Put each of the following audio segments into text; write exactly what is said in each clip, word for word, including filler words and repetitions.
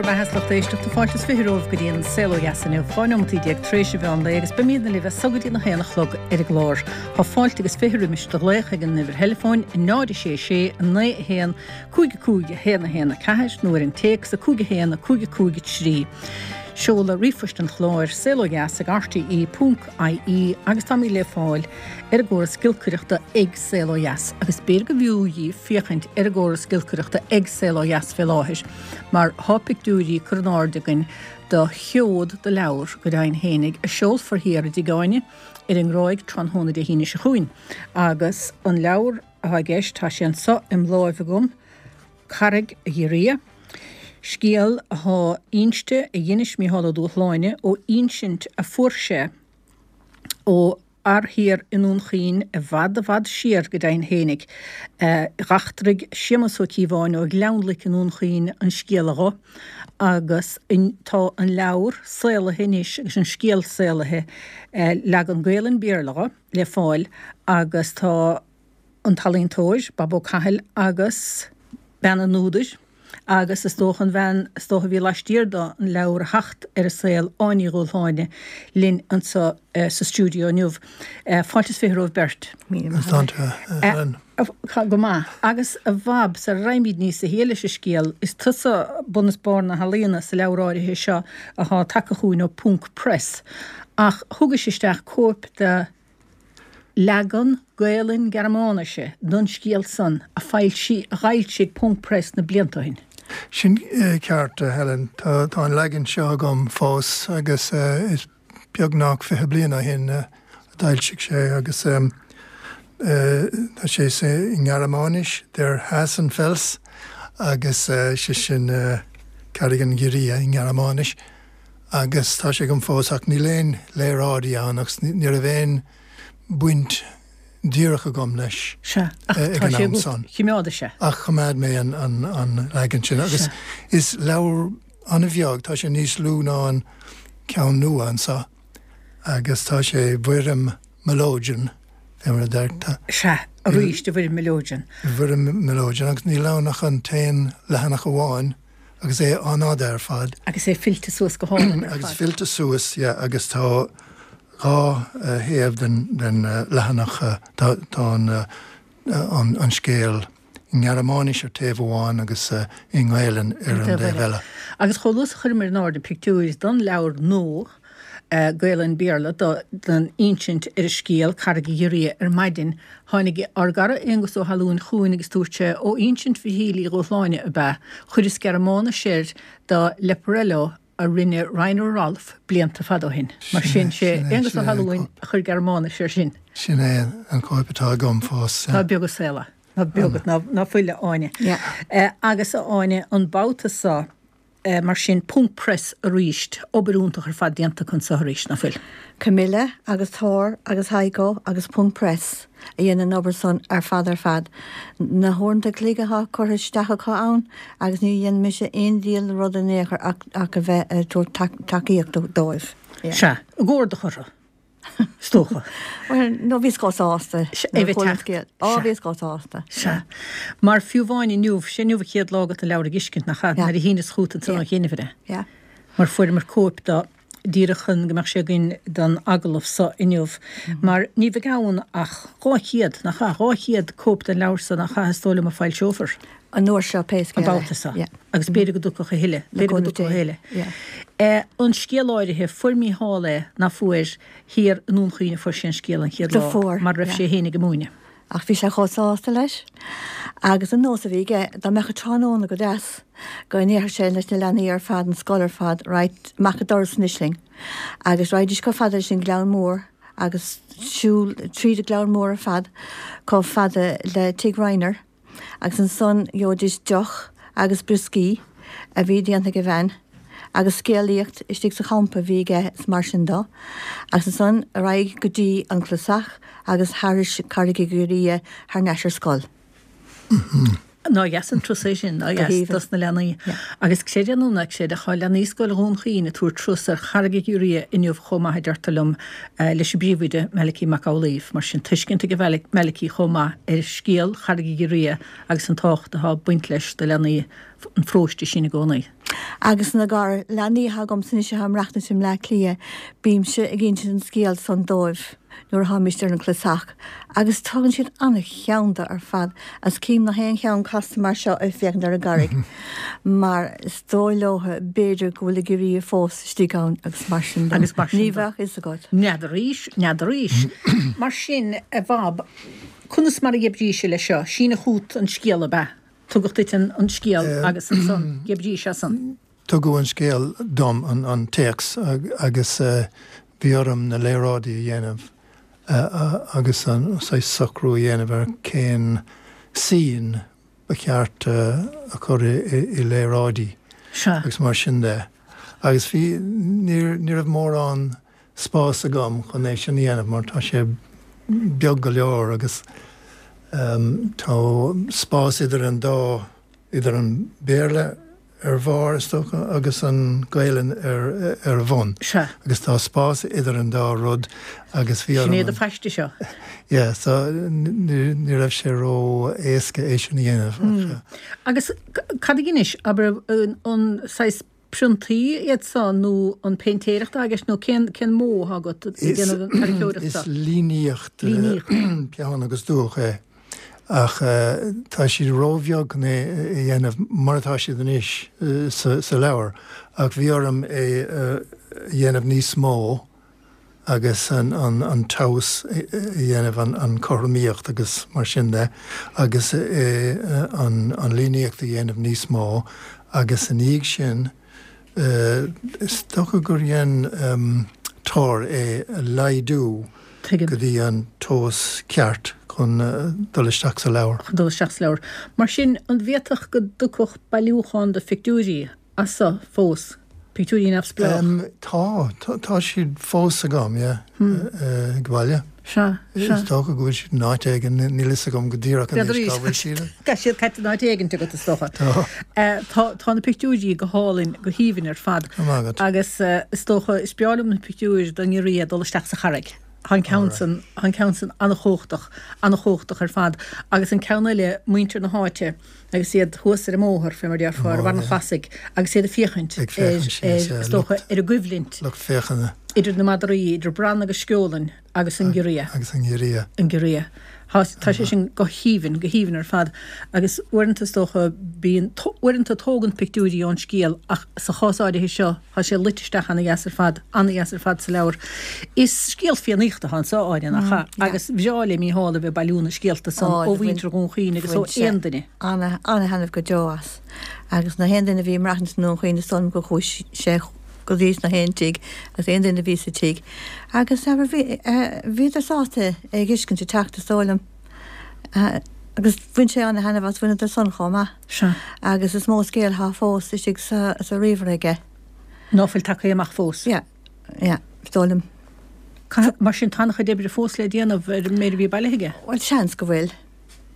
bheatha lucht éisteachta fáilte is fiche romhaibh go dtí an Saol Ó Dheas inniu, dhá neomat déag tar éis an mheán lae agus beimidne libh as so go dtí a haon a chlog ar an gclár. Tá fáilte agus fiche roimis do ghlaoch ag an uimhir theileafóin náid sé sé naoi a haon cúig a cúig a haon a haon a ceathair nó ar an téacs a cúig a haon a cúig a cúig a trí. Seoladh ríomhphoist an chláir saolodheas ag RTE ponc IE agus táimid le fáil ar an gcóras giolcaireachta ag Saol Ó Dheas agus b'fhéidir go bhfiú dhaoibh féachaint ar an gcóras giolcaireachta ag Saol Ó Dheas fé láthair mar tá pictiúirí curtha in airde againn do sheod de leabhar go deimhin fhéinig a seolfar thiar i dTigh Áine ar an nGráig tráthnóna Dé hAoine seo chugainn agus an leabhar atá i gceist tá sé anseo im láimh agam Carraig Ghiorria. Scéal atá inste a d'inis Mícheál Ó Dúshláine ó insint a fuair sé ó fhear thiar i nDún Chaoin i bhfad i bhfad siar go deimhin fhéinig. D'eachtraigh Séamus Ó Cíobháin ó Ghleann Loic i nDún Chaoin an scéal dho agus tá an leabhar saolaithe anois agus an scéal saolaithe leagan Gaelainn Béarla dho le fáil agus tá an t-ealaíontóir Bob Ó Cathail agus bean an údair agus is dócha an bhean is dócha a bhí laistiar do an leabhar a theacht ar an saol Áine Ní Dhúshláine linn anseo sa stiúideo inniu. Fáilte is fiche romhaibh beirt. Go maith. Agus a Bhab, sara raghaimid níos sia leis an scéal, is tusa bun is barr na healaíona sa leabhar áirithe seo atá tagtha chugainn ó Ponc Press. Ach thugais isteach cóip de leagan Gaelainn Gearmáinise don scéal san a foilsí a d'fhoilsigh Ponc Press na blianta ó shin. Sin ceart, Helen. Tá tá an leagan seo agam fós agus is beagnach fiche bliain ó shin a d'fhoilsigh sé agus tá sé sa nGearmáinis Der Hasenfels agus sé sin Carraig an Ghiorria i nGearmáinis agus tá sé agam fós ach níl aon léaráidí ann agus ní raibh aon baint díreach agam leis Sea, ach ag tá an sé am agat. san. Choimeádais sé. Ach choimeád mé an, an, an leagan sin agus Sea. is leabhar an-bheag, tá sé níos lú ná an ceann nua anseo agus tá sé i bhfoirm melodeon, fé mar a deirtear. Sea, arís i bhfoirm melodeon. I bhfoirm melodeon agus níl ann ach an t-aon leathanach amháin agus é an-fhada ar fad. Agus é fillte suas go hálainn ar Agus fad. fillte suas, yeah, agus tá dhá thaobh den, den leathanach tá, tá an, an, an scéal i nGearmáinis ar taobh amháin agus i nGaelainn ar an taobh dtaobh eile. eile. Agus chomh luath is a chuireamar in airde pictiúir don leabhar nua Gaelainn Béarla do, don insint ar an scéal Carraig an Ghiorria ar maidin, tháinig ár gcara Aonghus Ó hAlúin chugainn agus dúirt sé ó insint Mhichíl Uí Dhúshláine ab ea, chuireas Gearmáinis air do Leporello a rinne Rainer Rolf blianta fada ó shin. Mar sin sé Sin é, Aonghus Ó sin é an hAlúin a chuir Gearmáinis air sin. Sin é an cóip atá agam fós. Ná beag an saol é. Ná beag, ná, ná fuil a Áine. Yeah. Eh, agus a Áine an babhta seo eh, mar sin Ponc Press arís, obair iontach ar fad déanta anso arís, ná fuil. Camilla agus Thor agus Heiko agus Ponc Press a dhein an obair san ar fad ar fad. Na huaireanta cloig atá curtha isteach acu ann agus ní dhein mise aon diabhal rud in aon chor ach, ach a bheith ag tabhairt tacaíocht dóibh. Yeah. Sea, i gcomhar orthu. Is dócha. Well, no bhíos chomh sásta. É bheith teacht. Á Sea. bhíos chomh sásta. Sea. Mar fiú amháin inniu, sé inniu an chéad lá agat an leabhar a fheiscint nach ea, Yeah. nuair a shíneas chugat ansan Yeah. ó chinnibhre. Yeah. Mar fuaireamar cóip do díreach chun go mbeadh sé againn don agallamh so inniu. Mar ní bheidh ann ach dhá chéad, nach ea, dhá chéad cóip den leabhar so nach ea is dóigh liom a foilseofar. An uair seo pé An scéal é. babhta seo. Yeah. Agus b'fhéidir go dtiocfadh a thuilleadh, Le b'fhéidir go cúnamh dtiocfadh a Dé. thuilleadh. Yeah. Eh, an scéal áirithe, fuair Mícheál é ná fuair thiar i nDún Chaoin a fuair sé an scéal an chéad Do lá, fuair, mar raibh yeah. sé féin ag múineadh. Ach bhí sé chomh sásta leis. Agus an nós a bhí aige, dá mbeadh an tráthnóna go deas, go ndéarfadh sé leis na leanaí ar fad an scoil ar fad, right, amach an doras anois linn. Agus raghaidís chomh fada leis an Gleann Mór agus siúl tríd an Gleann Mór ar fad chomh fada le Tigh Reiner. Agus ansan gheobhaidís deoch agus brioscaí a bhí déanta ag a bhean, agus scéalaíocht istigh sa champa bhí aige is mar sin dó. Agus ansan ar aghaidh go dtí an clasach agus thairis Carraig an Ghiorria thar n-ais ar scoil. Ná dheas an turas é sin, ná Go dheas haoibhinn. dos na leanaí. Yeah. Agus creid é nó ná creid, tá leanaí Scoil Dhún Chaoin ag tabhairt turas ar Charraig an Ghiorria inniu chomh maith a deirtear liom eh, leis an bpríomhoide Malachy Mac Amhlaoibh, mar sin tuiscint ag Malachy chomh maith ar scéal Charraig an Ghiorria agus an tábhacht atá ag baint leis do leanaí an pharóiste sin i gcónaí. Agus na gar leanaí atá agamsa anois atá ag maireachtaint i mBleá Cliath, bímse ag insint an scéal san dóibh nuair a tháimist ar an chlosach, agus tugann siad an-cheann de ar fad, agus cím nach aon cheann casta mar seo ag féachaint ar an gcarraig, mar is dóigh leo b'fhéidir go bhfuil an giorria fós istigh ann agus mar sin de. Agus mar sin Ní de. bheadh fhios agat. N'fheadar arís, n'fheadar arís. Mar sin, a Bhob, conas mar a dh'oibrís leis seo? Síneadh chugat an scéal ab ea? Tugadh duit an scéal agus ansan dh'oibrís as san. Tugadh an scéal dom, an téacs, agus bhí orm na léaráidí a dhéanamh agus an saghas socrú a dhéanamh ar cén scene ba cheart a chur i léaráidí agus mar sin de. Agus bhí, ní raibh mórán spás agam chun é sin a dhéanamh mar tá sé beag go leor agus tá spás idir an dá, idir an Béarla ar bharr is dócha agus an Ghaelainn ar ar bhun. Sea. Agus tá spás idir an dá rud agus bhí orm. Sin é do phaiste seo. Yeah, so ní ní raibh sé ró éasca é sin a dhéanamh ach. Agus cad a dheinis, abair an saghas priontaí iad seo nó an péintéireacht atá i gceist nó cén cén modh atá agat ag déanamh an tarraiceoireacht seo? Is líníocht, peann agus dúch é ach tá siad róbheag chun é a dhéanamh mar atá siad anois sa sa leabhar ach bhí orm é a dhéanamh níos mó agus an an an tomhas a dhéanamh, an an chothromaíocht agus mar sin de agus an an líníocht a dhéanamh níos mó agus ina dhiaidh sin is dócha gur dhein Tor é a laghdú Tuigim. go dtí an tomhas ceart chun dul isteach sa leabhar. Chun dul isteach sa leabhar. Mar sin, an bhféadfadh go dtiocfadh bailiúchán de phictiúirí as seo fós? Pictiúirí neamhspleách? Tá, tá siad fós agam, yeah, ag baile. Sea, sea. Is dócha go bhfuil siad in áit éigin, níl fhios agam go díreach anois cá bhfuil siad. Tá siad caite in áit éigin agat, is dócha. Tá. Tá, tá na pictiúirí go hálainn, go haoibhinn ar fad. Go maith agat. Agus is dócha, is breá liom na pictiúir den ngiorria ag dul isteach sa charraig. Tá an ceann san, tá an ceann san an-chumhachtach, an-chumhachtach ar fad. Agus an ceann eile, muintir na háite agus iad thuas ar an mbóthar, fé mar a déarfá, ar bharr an chlasaigh, agus iad ag féachaint Ag féachaint síos, ar, is dócha, ar an gcoimhlint. Lucht féachana. Idir na madraí, idir Bran agus Sceolann agus an giorria. Agus an giorria. An giorria. Tá, tá sé sin go haoibhinn, go haoibhinn ar fad. Agus uaireanta is dócha, bíonn, uaireanta tógann pictiúirí ón scéal ach sa chás áirithe seo, tá sé luite isteach ana-dheas ar fad, ana-dheas ar fad sa leabhar. Is scéal Fiannaíochta atá anseo, Áine, nach ea? Agus bhreá le Mícheál a bheith ag bailiú na scéalta san ó mhuintir Dhún Chaoin agus ó aon duine. Ana, ana-thaitneamh go deo as. Agus na haon duine a bhí ag maireachtaint i nDún Chaoin is dóigh liom gur chuaigh sé go dtí na haon tigh agus aon duine a bhí sa tigh agus abair bhí bhíodar sásta é a dh'fheiscint ag teacht is dóigh liom agus bhain sé ana-thaitneamh as bhaineadar san chomh maith. Sea. Agus is mó scéal atá fós istigh sa sa ríomhaire aige. Ná fuil tagtha amach fós. Yeah, yeah, is dóigh liom. Caithfidh, mar sin tá an-chuid oibre fós le déanamh ar an méid a bhí bailithe aige. Bhuel seans go bhfuil.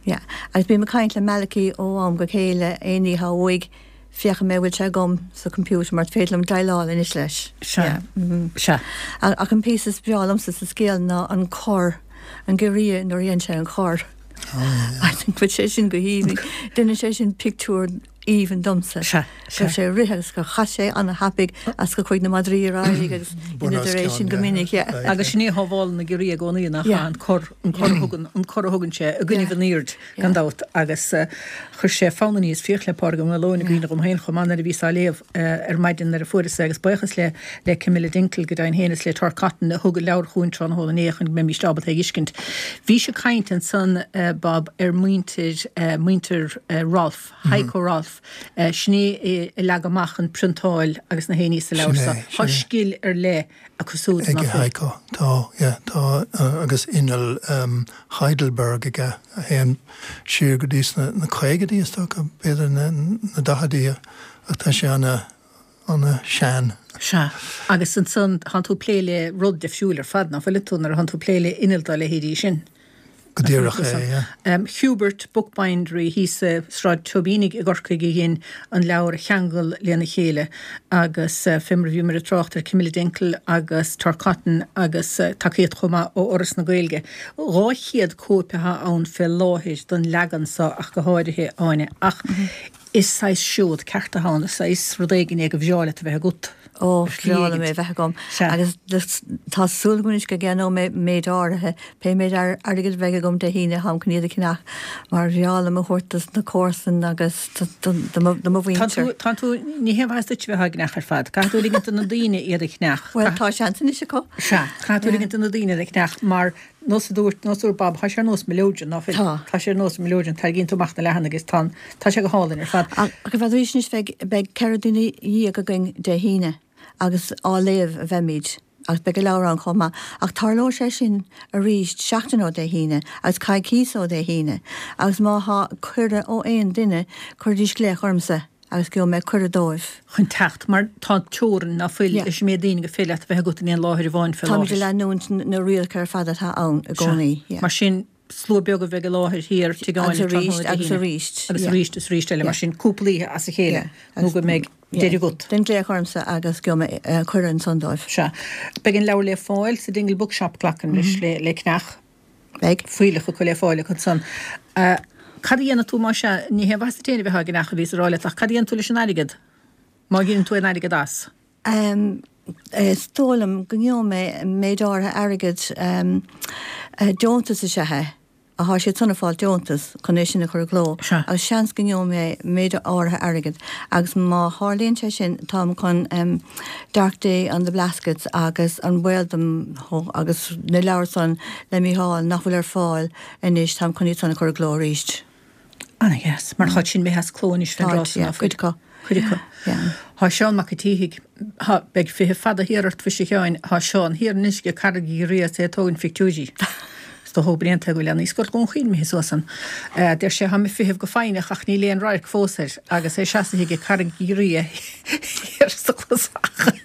Yeah. Agus bím ag caint le Malachy ó am go chéile aon ní atá uaidh Féachfaidh mé an bhfuil sé agam sa computer mar is féidir liom déileáil anois leis. Sea. Sea. Ach an píosa is breá liomsa sa scéal ná an cor, an giorria nuair a dhein sé an cor. I think bhfuil sé sin go haoibhinn. Déanann sé sin pictiúr aoibhinn domsa. Sea. Go raibh sé ag rith agus gur chas sé ana-thapaidh agus gur chuaigh na madraí ar aghaidh agus dheineadar é sin go minic. Yeah. Agus sin é a shábhálann na giorria i gcónaí, nach ea? An cor, an cor a thugann, an cor a thugann sé i gcoinnibh an aoird. Gan dabht, agus chuir sé fonn aníos fiach le Pádraig Ó Maoileoin i gcuimhne dhom féin chomh maith nuair a bhíos á léamh ar maidin nuair a fuaireas é agus buíochas le le Camilla Dinkel go deimhin féin is le Tor Cotton a thug an leabhar chugainn tráthnóna inné chun go mbeimíst ábalta é a fheiscint. Bhís ag caint ansan, Bob, ar mhuintir, muintir Rolfe, Heiko Rolfe, sin é a leag amach an priontáil agus na haon ní sa leabhar Sin é, seo. Tá sin é. scil ar leith acu siúd, Ag nach bhfuil? Heiko, tá, yeah, tá agus inneall Heidelberg aige a théann siar go dtí sna na caogaidí is dócha, b'fhéidir na na daichidí ach tá sé ana ana shean. Sea, agus ansan tánn tú ag plé le rud difriúil ar fad, nach bhfuil tú, nuair a thánn tú ag plé le inneall dá leithéidí sin. Go díreach é, yeah. Hubert Bookbindery thíos i Sráid Tóibínigh i gCorcaigh a dhein an leabhar a cheangal lena chéile agus fé mar a bhíomar ag trácht ar Camilla Dinkel agus Tor Cotton agus tacaíocht chomh maith ó Fhoras na Gaeilge. Dhá chéad cóip atá ann fé láthair don leagan seo ach go háirithe, Áine. Ach Is saghas seod ceart atá ann, is saghas rud éigin é gur bhreá leat a bheith agat. Ó, bhreá liom é a bheith agam. Agus tá súil agam anois go gceannóidh mé méid áirithe, pé méid airgid a bheidh agam Dé hAoine, táim chun iad a cheannach mar bhreá liom a thabhairt dos na comharsain agus do mo mhuintir. Tá tú, ní haon mhaitheas duit a bheith á gceannach ar fad. Caithfidh tú ligint do na daoine iad a cheannach. Bhuel, tá seans anois acu. Sea, caithfidh tú ligint do na daoine iad a cheannach mar nós a dúirt, nós a dúirt Bob, tá sé ar nós mileoidean, ná fuil? Tá. Tá sé ar nós mileoidean, tarraingíonn tú amach na leathanaigh agus tá, tá sé go hálainn ar fad. Ach arís anois beidh, beidh ceithre duine dhéag againn Dé hAoine agus á léamh a bheimid agus beidh an leabhar ann chomh maith. Ach tarlóidh sé sin arís seachtain ó Dé hAoine agus coicíos ó Dé hAoine agus má thá cuireadh ó aon duine, cuiridís glaoch ormsa. agus gheobhaidh mé cuireadh dóibh. chun teacht, mar tá teorainn ná fuil leis an méid daoine gur féidir leat a bheith agat in aon láthair amháin fé Táimid ag láthair. leanúint na rialacha ar fad atá ann i gcónaí. Sea. Mar sin, slua beag a bheidh i láthair thiar Tigh Agus Áine arís, tráthnóna Dé agus hAoine. arís. Agus Yeah. arís is arís eile, mar Yeah. sin, cúpla oíche as a chéile Yeah. nó Agus go mbeidh yeah. deireadh agat. Déan glaoch ormsa agus gheobhaidh mé eh, cuireadh ansan dóibh. Sea. Beidh an leabhar le fáil sa Dingle Bookshop, glacaim leis, le le ceannach. Beidh. Fuílleach acu le fáil acu ansan. Cad a dhéanfaidh tú má sea, ní haon mhaitheas duit féin a bheith á gceannach a bhíos a rá leat, ach cad a dhéanfaidh tú leis an airgead? Má ghineann tú aon airgead as? Is dóigh liom go ngeobhaidh mé méid áirithe airgid, deontas is ea é. Thá siad san ag fáil deontas chun é sin a chur i gcló agus seans go ngeobhaidh mé méid áirithe airgid agus má tharlaíonn sé sin táim chun Dark Day on the Blaskets agus An Baol dom agus na leabhair san le Mícheál nach bhfuil ar fáil anois táim chun iad san a chur i gcló arís. Ana-dheas. Mar táid sin imithe as cló anois fén Táid, dtráth san yeah, ná fuil? cuid acu. Cuid acu. Yeah. Thá Seán Mac an tSíthigh, thá, beidh feitheamh fada thiar ort, mhuise a Sheáin, thá Seán thiar anois ag Carraig Ghiorria is é ag tógaint phictiúirí. Is dócha gurb in é an tuige go bhfuil leanaí Scoil Dhún Chaoin imithe suas ann. Deir sé, Tháim ag feitheamh go foighneach ach níl aon radharc fós air agus é seasaithe ag Carraig Ghiorria thiar sa chlosach.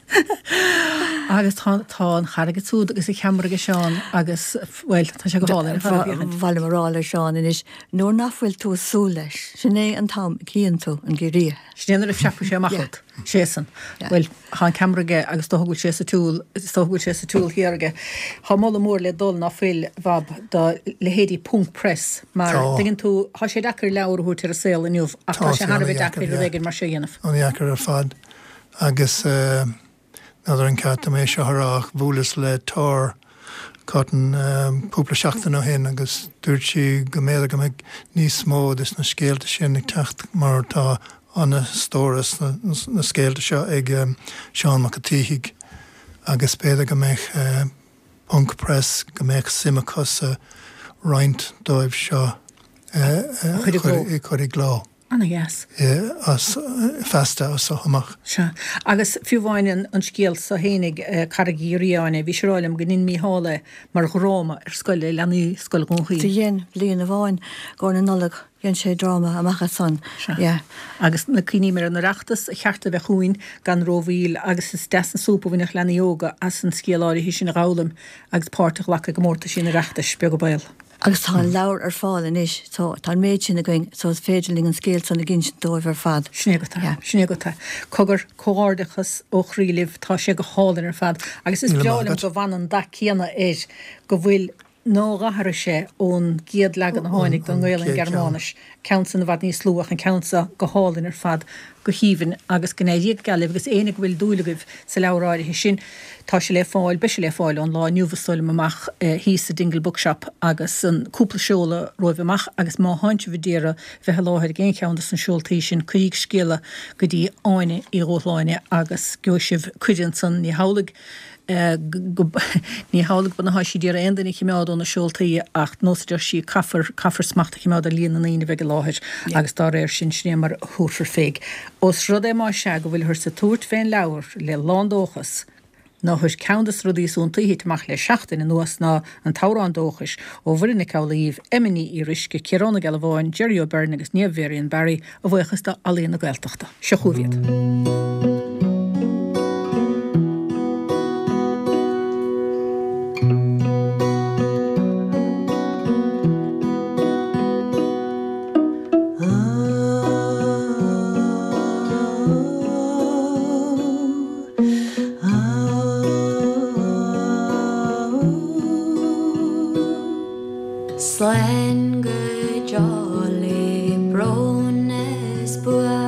Agus tá, tá an charraig ansúd agus an cheamara ag Seán agus, bhuel, tá sé go hálainn ar fad a féachaint. Ba mhaith liom a rá le Seán anois, nuair nach bhfuil tú ag súil leis, sin é an t-am a chíonn tú an giorria. Sin é nuair a phreabfaidh sé amach Yeah. ort. Sé san. Yeah. Bhuel, thá an ceamara aige agus dócha go bhfuil sé sa tsiúl, is dócha go bhfuil sé sa tsiúl thiar aige. Thá moladh mór le dul ná fuil, Bhab, do leithéidí Ponc Press mar, Tá. tuigeann tú, thá sé deacair leabhar a thabhairt ar an saol inniu ach Tá tá sé sé thar a bheith ana-dheacair, deacair rud yeah. éigin mar seo a dhéanamh. Ana-dheacair ar fad agus eh, n'fheadar an ceart dom é seo a rá ach bhuaileas le Tor Cotton cúpla seachtain ó shin agus dúirt sí go mb'fhéidir go mbeidh níos mó de na scéalta sin ag teacht mar tá ana-stóras na scéalta seo ag Seán Mac an tSíthigh agus b'fhéidir go mbeadh Ponc Press, go mbeadh suim acu sa roinnt dóibh seo a chur i gcló. Ana-dheas. As feasta as seo amach. Sea. Agus fiú amháin an scéal so fhéinig, Carraig Ghiorria, bhí sé ag rá liom go ndein Mícheál é mar dhráma ar scoil le leanaí Scoil Dhún Chaoin. Do dhein, bliain amháin, i gcomhair na Nollag, dhein sé dráma amach as san. Sea. Yeah. Agus na cuimhním ar an Oireachtas, a cheart a bheith chugainn gan rómhoill agus is deas an súp a bhainfeadh leanaí óga as an scéal áirithe sin a dh'fhoghlaim agus páirt a ghlacadh i gcomórtaisí an Oireachtais, beag an baol. Agus tá an leabhar ar fáil anois so tá an méid sin againn so is féidir linn an scéal san a dh'insint dóibh ar fad. Sin é agat é. Yeah. Sin é agat é. Cogar, comhghairdeachas ó chroí libh, tá sé go hálainn ar fad agus is Míle breá maith liom agat. go bhfanann dath céanna air, go bhfuil, nár athraigh sé ón gcéad leagan a tháinig don Ón nGaelainn chéad cheann. Gearmáinis, ceann san i bhfad níos lú ach an ceann seo go hálainn ar fad, go haoibhinn agus go n-éirí go geal libh agus éinne go bhfuil dúil agaibh sa leabhar áirithe sin, tá sé le fáil, beidh sé le fáil ón lá inniu is dóigh liom amach thíos sa Dingle Bookshop agus an cúpla seoladh romhaibh amach agus má thánn sibh a d'iarraidh bheith i láthair ag aon cheann dos na seoltaí sin cuiríg scéala go dtí Áine Uí Dhúshláine agus gheobhaidh sibh cuireadh ansan, ní hamhlaidh. go Ní hamhlaidh go bhfuil sí d'iarraidh aon duine a chimeád ó na seoltaí ach nós a deir sí caithfear caithfear smacht a chimeád ar líon na ndaoine a bheidh i láthair agus dá réir sin sin é mar a thabharfar féig. Ós rud é más ea go bhfuilthear ag tabhairt fén leabhar le lándóchas ná chuir ceann de na rudaí is iontaí a thit amach le seachtain anuas ná an t-amhrán dóchais ó Mhuireann Nic Amhlaoibh, Emma Ní Fhíoruisce, Ciarán Ó Gealbháin, Jerry O'Beirne agus Niamh Varian Barry, a bhuíochas do Ealaín na Gaeltachta. Seo chugaibh iad. Slán go deo le brón is buairt.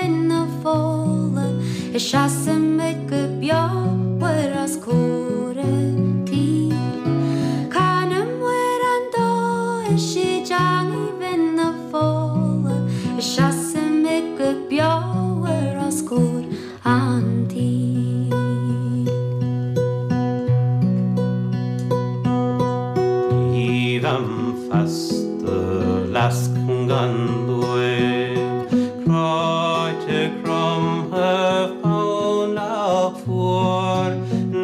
bhinn na fola Is seasaimid go beomhar os comhair an tí Canaim amhrán dóchais i dteangaidh bhinn na fola Is seasaimid go beomhar os comhair an tí. Ní bheam feasta fleasc gan dúil, Cráite cromtha fánach fuar,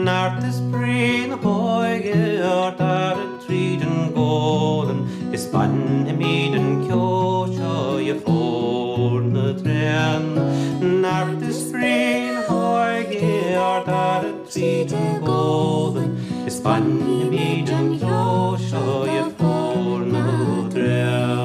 Neart is brí na hóige ár dtarrac tríd an gcólann, Is bainfimid an ceo seo dhe phór na dtréan. Neart is brí na hóige ár dtarrac tríd an gcólann, Is bainfimid an ceo seo dhe phór na dtréan.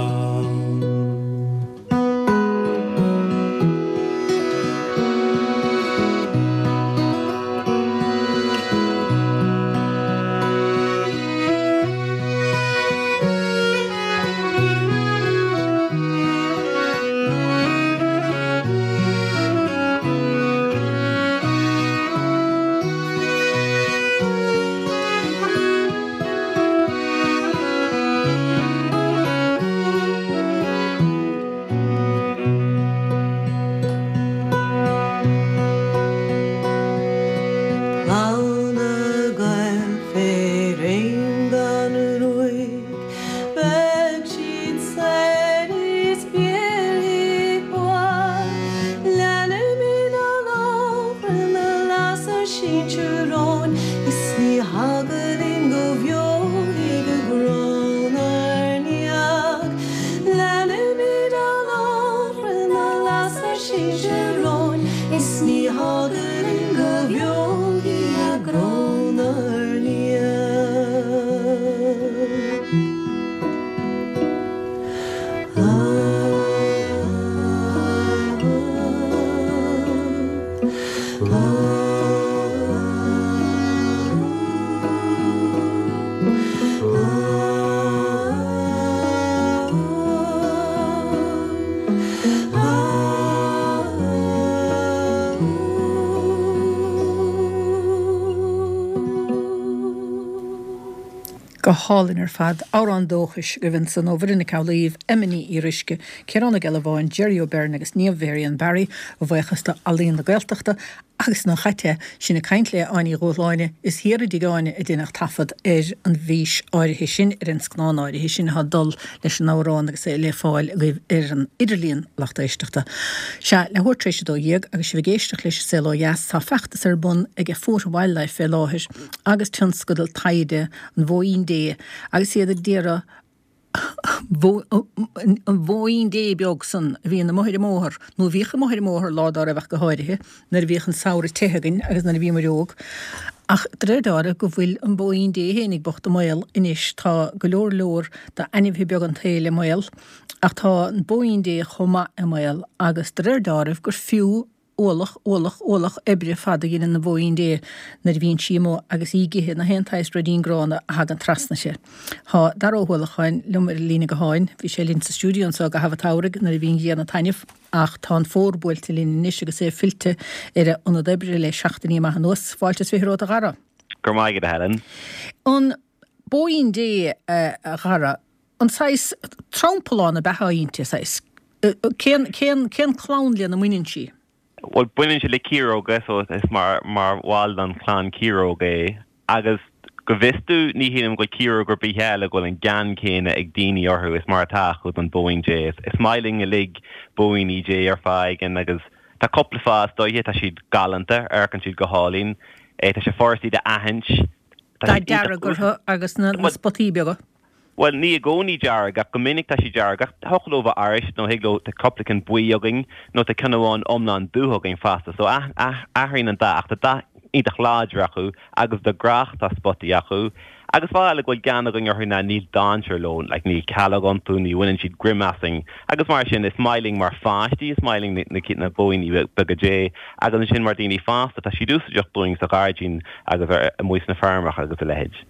Clann na Gael fé réim gan ruaig, Beidh siad saor is béarfaidh bua. Leanfaimid an lóchrann a las ár sinsir romhainn, Is ní heagal linn go bhfeofaidh a gcró 'nár ndiaidh. Leanfaimid an lóchrann a las ár sinsir romhainn, Is ní heagal linn go bhfeofaidh a gcró 'nár ndiaidh. Go hálainn ar fad, amhrán dóchais agaibh ansan ó Mhuireann Nic Amhlaoibh, Emma Ní Fhíoruisce, Ciarán Ó Gealbháin, Jerry O'Beirne agus Niamh Mhary Barry a bhuíochas do Ealaín na Gaeltachta agus na chaite sin ag caint le Áine Ní Dhúshláine is thiar i dtigh Áine a deineadh taifead ar an bhfís áirithe sin ar an scannán áirithe sin atá ag dul leis an amhrán agus é le fáil agaibh ar an idirlíon lucht éisteachta. Sea, leathuair tar éis a dó dhéag agus sibh ag éisteacht leis an Saol Ó Dheas tá feachtas ar bun ag Fota Wildlife fé láthair agus tionscadal taighde an Bhóín Dé agus iad ag iarraidh an bhóín Dé beag san a bhíonn amuigh ar an mbóthar, nó a bhíodh amuigh ar an mbóthar lá dá raibh ach go háirithe, nuair a bhíodh an samhradh te againn agus nuair a bhíomar óg. Ach de réir dealraimh go bhfuil an bóín Dé fhéinig bocht i mbaol anois, tá go leor leor d'ainmhithe beaga an tsaoil i mbaol, ach tá an bóín Dé chomh maith i mbaol agus de réir dealraimh gur fiú ualach, ualach, ualach oibre fada a dhéanann an bhóín Dé nuair a bhíonn sí amuigh agus í ag ithe na haon tsaghas ruidín gránna a thagann trasna uirthi. Tá Dara Ó hUallacháin liom ar an líne gutháin, bhí sé linn sa stiúideo anseo i gcaitheamh an tsamhraidh nuair a bhí an ghrian ag taitneamh, ach tá an fómhar buailte linn anois agus é fillte ar a ionad oibre le seachtainí maith anuas. Fáilte is fiche romhat a Dhara. Go raibh maith agat, a Helen. An bóín Dé, a Dhara, an saghas trampallán ab ea atá inti, saghas, cén, cén, cén clann lena mbaineann sí? Bhuel, baineann sé le ciaróga, so is mar mar bhall den chlann ciaróg é. Agus go bhfios domh, ní shílim go bhfuil ciaróg ar bith eile go bhfuil an gean céanna ag daoine orthu is mar atá acu don bóín Dé. Is maith linn uilig bóíní Dé ar fáth éigin agus tá cúpla fáth is dóiche, tá siad galánta, amharcann siad go hálainn, tá sé furast iad a aithint, tá Dath siad iontach dearg orthu agus na spotaí beaga. Bhuel, ní i gcónaí dearg, ach go minic tá siad dearg. Ach thiocfadh leo bheith arís, nó thig leo, tá cúpla ceann buí againn, nó tá ceann amháin iomlán dubh againn fosta. So athraíonn an dath, ach tá dath iontach láidir acu, agus de ghnáth tá spotaí acu. Agus fáth eile go bhfuil gean againn orthu ná níl dainséar leo, like níl calóg iontu, ní bhaineann siad greim asainn. Agus mar sin, is maith linn mar pháistí, is maith linn na, na bóíní beaga Dé, agus ansin mar daoine fásta, tá siad úsáideach dúinn sa ghairdín agus amuigh sna feirmeacha agus a leithéid.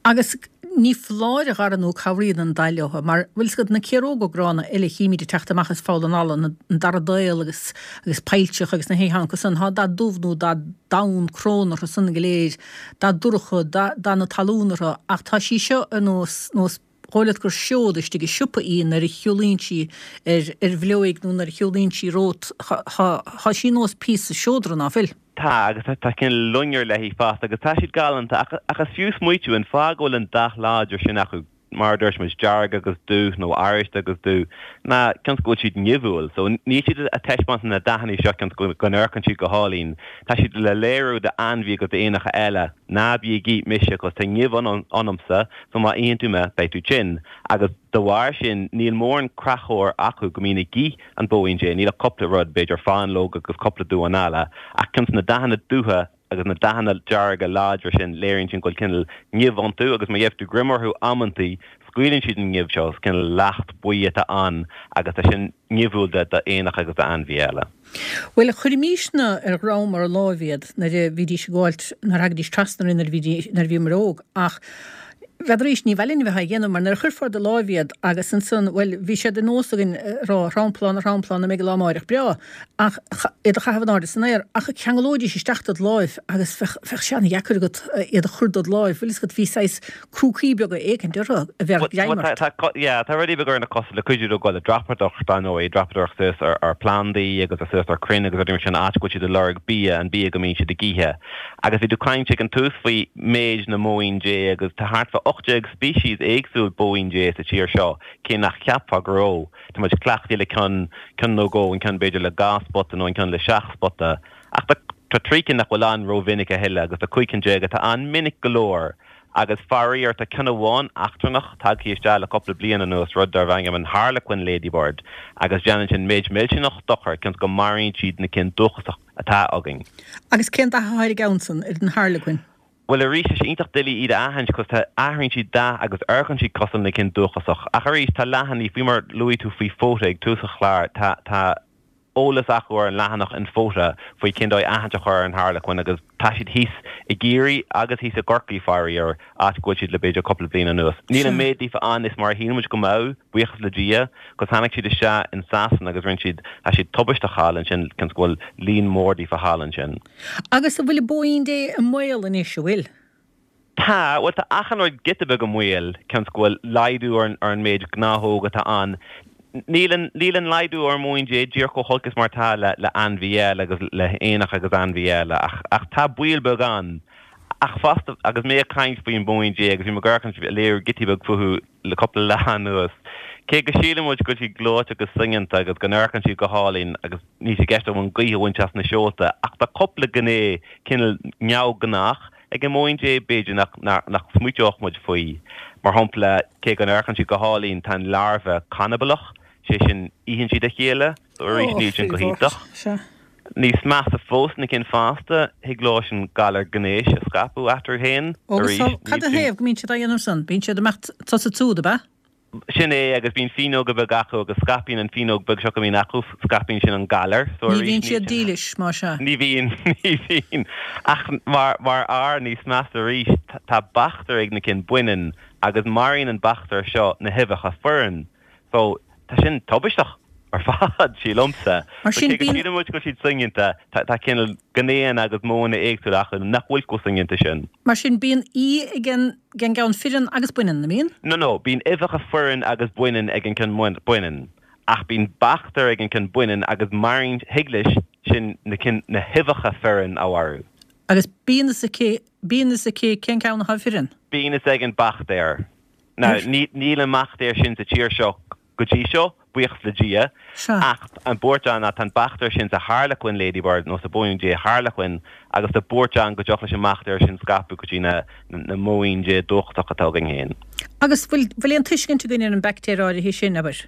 Agus ní foláir, a Dhara, nó cabhraíonn an dath leo, mar bhfuil 's agat na ciaróga gránna eile a chímid ag teacht amach as Poll an Fhalla, an daraíodh agus agus peilseach agus na héitheancha san, tá dath dubh nó dath donn crón orthu san go léir, dath dorcha, dath na talún orthu, ach tá sí seo ar nós nós dhóigh leat gur seod istigh i siopa í nuair a shiúlaíonn sí ar ar bhfleoig nó nuair a shiúlaíonn sí romhat, tá sí nós píosa seodra, ná fuil? Tá, agus tá cineál loinnir léi fosta agus tá siad galánta ach ach is fiú smaoitiú an fáth go bhfuil an dath láidir sin acu, mar a dúirt muid, dearg agus dubh nó oráiste agus dubh, ná cionn is go bhfuil siad nimhiúil. So níl siad ag taispeáint na dathanna seo cionn is go n-amharcann siad go hálainn. Tá siad le léiriú d'ainmhí agus d'éanacha eile, ná bí ag ith mise cos tá nimh ionamsa so má itheann tú mé beidh tú tinn. Agus de bharr sin níl mórán creachóir acu go mbíonn ag ith an bóín Dé, níl ach cúpla rud, b'fhéidir fáinleog agus cúpla damhán alla, ach cionn is na dathanna dubha agus na dathanna dearga láidre sin, léiríonn sin go bhfuil cineál nimh iontu agus má gheibh tú greim orthu amantaí, scaoileann siad an nimh seo, is cineál leacht buí atá ann agus tá sin nimhiúil d'éanacha agus d'ainmhithe eile. Bhuel, chuirimisne ar dhroim ár láimh iad nuair a bhídís ag gabháilt, nuair a thagaidís trasna orainn nuair a bhídís, nuair a bhíomar óg, ach n'fheadar arís, ní mhaith linn a bheith á dhéanamh mar nuair a chuirfeá ar do láimh iad agus ansan, bhuel, bhí sé de nós againn a rá, a thramplán, a thramplán, an mbeidh an lá amáireach breá, ach iad a chaitheamh in airde san aer, ach cheanglóidís isteach dod láimh agus bheadh, bheadh sé an-dheacair agat iad a chur dod láimh, bhfuil fhios agat, bhí saghas crúcaí beaga éicint orthu a bheadh greim ort. Tá, yeah, tá rudaí beaga ar na cosa le cuidiú leo goil ag dreapadóireacht, dar ndóigh, dreapadóireacht suas ar, ar phlandaí agus suas ar crainn agus rudaí mar sin, áit go bhfuil siad ag lorg bia, an bia go mbíonn siad ag ithe. Agus bhí tú ag caint ag an tús faoi méid na mbóín Dé agus tá thart fá ocht déag species éagsúil bóín Dé sa tír seo, cé nach cheapfá go raibh. Tá muid cleachtaithe le ceann, ceann nó dhó, an ceann b'fhéidir le dhá spota nó an ceann le seacht spota. Ach tá, tá trí cinn nach bhfuil ann rómhinic a thuilleadh agus tá cúig cinn déag atá ann minic go leor. Agus faraor tá ceann amháin eachtrannach tagtha isteach le cúpla bliain anuas, rud darb ainm an Harlequin Ladybird, agus déanann sin méid millteanach dochair cionn is go maraíonn siad na cinn dúchasach atá againn. Agus cén dath atá ar an gceann san, ar an Harlequin? Bhuel arís, tá sé iontach doiligh iad a aithint cos tá, athraíonn siad dath agus amharcann siad cosúil na cinn dúchasach. Ach arís, tá leathanaigh, faoi mar luaigh tú faoi Fota ag tús an chláir, tá, tá eolas acu ar an leathanach in Fota faoi cén dóigh aithint a chur ar an Harlequin agus tá siad thíos i gCiarraí agus thíos i gCorcaigh faraor, áit go bhfuil siad le b'fhéidir cúpla bliain anuas. Níl an méid daofa ann is mar a shíl muid go mbeadh, buíochas le Dia, cos tháinig siad isteach in Sasana agus rinne siad, tá siad tubaisteach thall ansin cionn is go bhfuil líon mór daofa thall ansin. Agus an bhfuil an bóín Dé i mbaol anois, an bhfuil? Tá, bhuel tá achan rud giota beag i mbaol, cionn is go bhfuil laghdú ar an méid gnáthóg atá ann. Níl an, níl an laghdú ar an mbóín Dé díreach chomh holc is mar atá le, le ainmhí eile agus le héanacha agus ainmhí eile ach, ach tá baol beag ann. Ach fosta, agus mé ag caint faoin mbóín Dé agus bhí mé ag amharc ag léiriú giotaí beag fúthu le cúpla lá anuas, cé go síleann muid go bhfuil siad gleoite agus soineanta agus go n-amharcann siad go hálainn agus níl sé i gceist agam an ghaoth a bhaint as na seolta, ach tá cúpla gné cineál neamhghnách ag an mbóín Dé, b'fhéidir nach nach smaoiteodh muid faoi. Mar shampla, cé go n-amharcann siad go hálainn, tá an larbha canabalach, sé sin, itheann siad a chéile, so arís níl sin go hiontach. Níos measa fós, na cinn fásta, thig leo sin galar gnéis a scaipeadh eatarthu féin, arís, níl sin. Cad ina thaobh go mbíonn siad á dhéanamh san? Bíonn siad ag imeacht tusa is siúd, ab ea? Sin é, agus bíonn fíneoga beaga acu agus scaipíonn an fíneog beag seo go mbíonn acu, scaipíonn sin an galar. So Ní bhíonn siad dílis, más ea. Ní bhíonn, ní bhíonn. Ach mar, mar fhear, níos measa arís, tá baictéar ag na cinn baineann agus maraíonn an baictéar seo na huibheacha fireann. So, tá sin tubaisteach ar fad, sílimse. Mar So sin, cé go bíonn. síleann muid go bhfuil siad soineanta, tá, tá cineál gnéanna agus modhanna éagsúla acu nach bhfuil chomh soineanta sin. Mar sin, bíonn í ag an ag an gceann fireann agus baineann, an mbíonn? No, no, bíonn uibheacha fireann agus baineann ag an gceann baineann. Ach bíonn baictéar ag an gceann baineann agus maraíonn, thig leis sin na cinn, na huibheacha fireann a mharú. Agus bíonn fhios aici, bíonn fhios aici cén ceann atá fireann? Bíonn fhios ag an baictéar. Now, níl an mbaictéar sin sa tír seo go dtí seo, buíochas le Dia, ach an buairt ann ná tá an baictéar sin sa Harlequin Ladybird nó sa bóín Dé Harlequin agus tá buairt ann go dtiocfadh leis an mbaictéar sin scaipeadh go dtí na na mbóín Dé dúchasach atá againn féin. Agus bhfuil bhfuil aon tuiscint againn ar an baictéar áirithe sin, abair,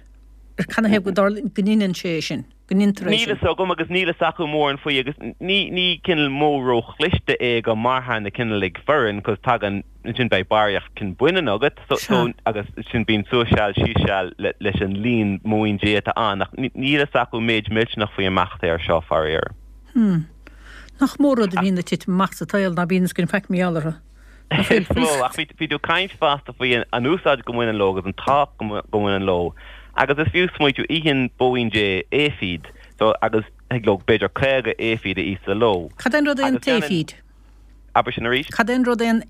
ar canathaobh go dtarla go ndeineann sé é sin, go ndeintear é Níl sin? fhios agam agus níl fhios acu mórán faoi agus ní ní cineál modh róchliste é go marófá na cinn uilig fireann cos tagann ansin beidh barraíocht cinn baineann agat so so Sea. agus sin bíonn suas seal síos seal le leis an líon móin Dé atá ann ach níl fhios acu méid millteanach faoi an mbaictéar seo faraor. Hmm. Nach mór rud a bhíonn ag titim amach sa tsaol ná bíonn fhios againn faic mar gheall orthu. Is mó, ach bhí tú ag caint fosta faoi an úsáid go mbaineann leo agus an tábhacht go mbaineann leo. Agus is fiú smaoitiú, itheann bóín Dé aifid, so agus thig leo b'fhéidir caoga aifid a ithe sa ló. Cad é an rud é an t-aifid? Abair sin arís. Cad é an rud é an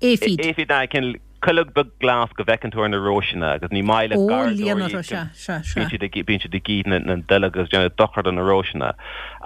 aifid? Aifid ná cineál cuileog beag glas go bhfeiceann tú ar na róiseanna agus ní maith le garraíodóirí bíonn siad ag bíonn siad ag ithe na nduilleog agus déanamh dochar do na róiseanna.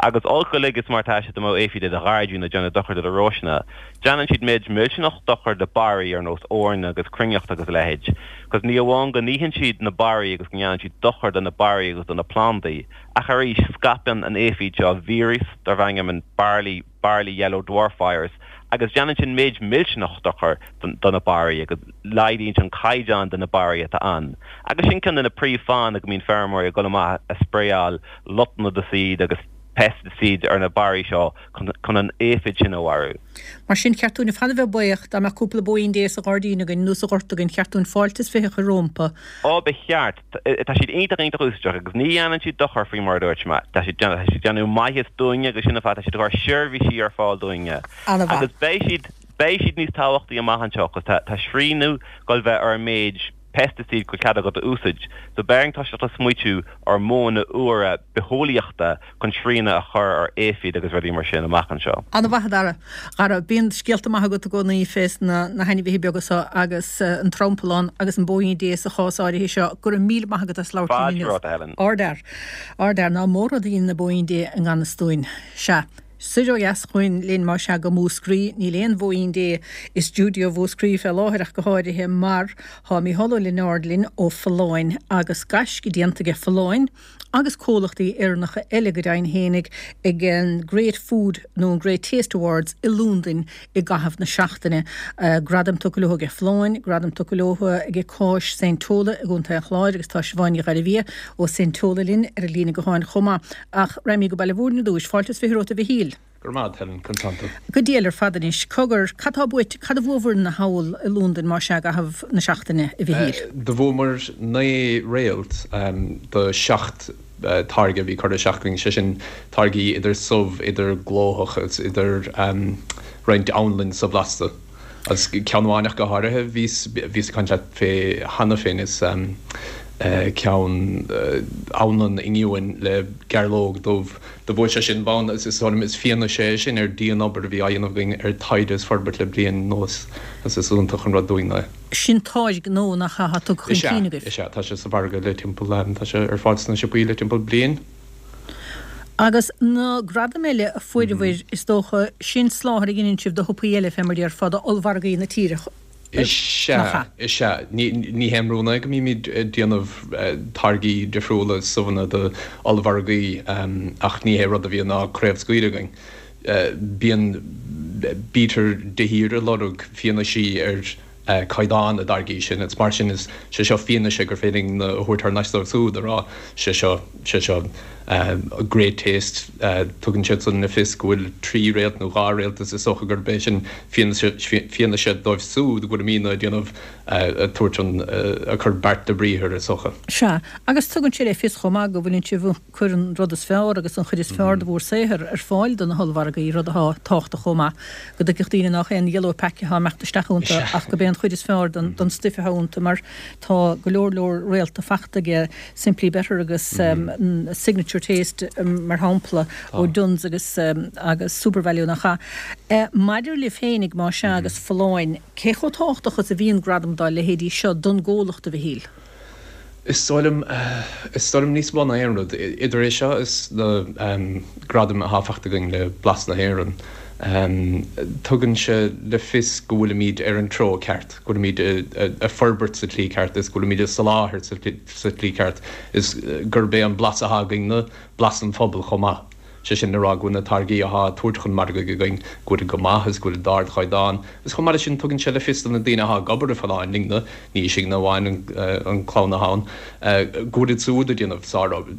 Agus olc uilig is mar atá sé dá mbeadh aifid i do ghairdín ag déanamh dochar do do róiseanna. Déanann siad méid millteanach dochar do barraí ar nós eorna agus cruithneacht agus a leithéid. Cos ní amháin go n-itheann siad na barraí agus go ndéanann siad dochar do na barraí agus do na plandaí, ach arís scaipeann an aifid seo víreas darb ainm an barley barley yellow dwarf virus agus déanann sin méid millteanach dochar do na barraí agus laghdaíonn sé an caighdeán de na barraí atá ann. Agus sin ceann de na príomhfháthanna go mbíonn feirmeoirí ag dul amach ag spraeáil lotnaidicíd agus peisticidí ar na barraí seo chun an aifid sin a mharú. Mar sin, cheart dúinn ar fad a bheith buíoch dá mbeadh cúpla bóín Dé sa ghairdín againn nó sa ghort againn, cheart dúinn fáilte is fiche a chur rompu. Ó, ba cheart. Tá siad iontach, iontach úsáideach agus ní dhéanann siad dochar faoi mar a dúirt mé. Tá siad tá siad ag déanamh maitheas dúinne agus sin an fáth tá siad ag cur seirbhísí ar fáil dúinne. An-mhaith. Agus beidh siad, beidh siad níos tábhachtaí amach anseo cos tá, tá srianadh ag dul bheith ar an méid pesticide go bhfuil cead agat a úsaid. So beidh orainn toiseacht a smaoitiú ar mhodhanna úra bitheolaíochta chun srianadh a chur ar aifid agus rudaí mar sin amach anseo. An-mhaith a Dhara. Dhara, bíonn scéalta maithe agat i gcónaí fés na na hainmhithe beaga so agus an Triompallán agus an Bóín Dé sa chás áirithe seo. Go raibh míle maith agat as labhairt linn Fáilte inniu. romhat, a Helen. Ardfhear. Ardfhear. Ná mór rud a dhein na Bóín Dé i ngan fhios dúinn. Sea. Soir ó dheas chugainn linn más ea go Múscraí. Níl aon Bhóín Dé i stiúideo Mhúscraí fé láthair ach go háirithe mar tá Mícheál Ó Lionáird linn ó Folláin agus gaisce déanta aige Folláin agus comhlachtaí Éireannacha eile go deimhin fhéinig ag an Great Food nó an Great Taste Awards i Londain i gcaitheamh na seachtaine. Gradam tugtha leo aige Folláin, gradam tugtha leo aige Cáis Saint Tola i gContae an Chláir agus tá Siobhán Ní Ghairbhia ó Saint Tola linn ar an líne gutháin chomh maith. Ach raghaimid go Baile Mhúirne ar dtúis. Fáilte is fiche romhat a Mhichíl. Go raibh maith agat, Helen. Conas tánn tú? Go diail ar fad anois. Cogar, cad tá buaite, cad a bhuabhair thall i Londain más ea i gcaitheamh na seachtaine, a Mhichíl? Do bhuamar naoi réalt do seacht táirge a bhí curtha isteach againn, sé sin táirgí idir subh, idir glóthach is idir roinnt anlann subhlasta. Agus ceann amháin ach go háirithe, bhíos, bhíos ag caint leat fé cheana féin, is ceann anlann oinniúin le gairleog dubh. Do bhuaigh sé sin bonn agus is dóigh liom is fianaise é sin ar dian-obair a bhí á dhéanamh againn ar taighde is forbairt le bliain anuas agus is iontach an rud dúinn é. Sin táirge nua nach ea atá tugtha chun Is ea, cinn agaibh? is ea. Tá sé sa mhargadh le timpeall, tá sé ar fáil sna siopaí le timpeall bliain. Agus na gradaim eile a fuaireabhair, is dócha, sin soláthar a dheineann sibh do shiopaí eile, fé mar a déarfá, d'ollmhargaí na tíre, Is nach ea, ea? is ea. Ní, ní haon rún é go mbímid ag déanamh táirgí difriúla, subhanna do ollmhargaí, ach ní hé rud a bhíonn á craobhscaoileadh againn. Bíonn, bítear de shíor ag lorg fianaisí ar caighdeán na dtáirgí sin. Is mar sin is sé seo fianaise gur féidir linn a thabhairt thar n-ais dóibh siúd a rá sé seo, sé seo great taste. Tugann siad san le fios go bhfuil trí réalt nó dhá réalt is is dócha gurb é sin fianaise, fianaise dóibh siúd go bhfuilimidne ag déanamh, ag tabhairt an, ag cur beart le briathar is dócha. Sea, agus tugann sé le fios chomh maith go bhfuileann sibh ag cur an rud is fearr agus an chuid is fearr de bhur saothar ar fáil do na hollmhargaí, rud atá tábhachtach chomh maith. Go dtuigfeadh daoine nách é an yellow pack atá ag imeacht isteach iontu ach gurb é an chuid is fearr den den stuif atá iontu mar tá go leor leor réalta fachta aige Simply Better agus Signature Taste mar shampla ó Dunnes agus agus Supervalu nach ea? Maidir libh féinig más ea agus Folláin, cé chomh tábhachtach is a bhíonn gradam dá leithéidí seo don gcomhlacht a Mhichíl? Is dóigh liom, is dóigh liom níos mó ná aon rud, idir é seo is na gradaim atá faighte againn le Blas na hÉireann, tugann sé le fios go bhfuilimid ar an treo ceart, go bhfuilimid ag forbairt sa tslí ceart is go bhfuilimid ag soláthar sa tslí ceart is gurb é an blas atá againn-ne blas an phobail chomh maith. Sé sin le rá go bhfuil na táirgí athá á dtabhairt chun margaidh againn, go bhfuilid go maith is go bhfuilid d'ardchaighdeán. Agus chomh maith leis sin, tugann sé le fios do na daoine athá ag obair i Folláin linne, ní sinne amháin an clann athá ann, go bhfuilid siúd ag déanamh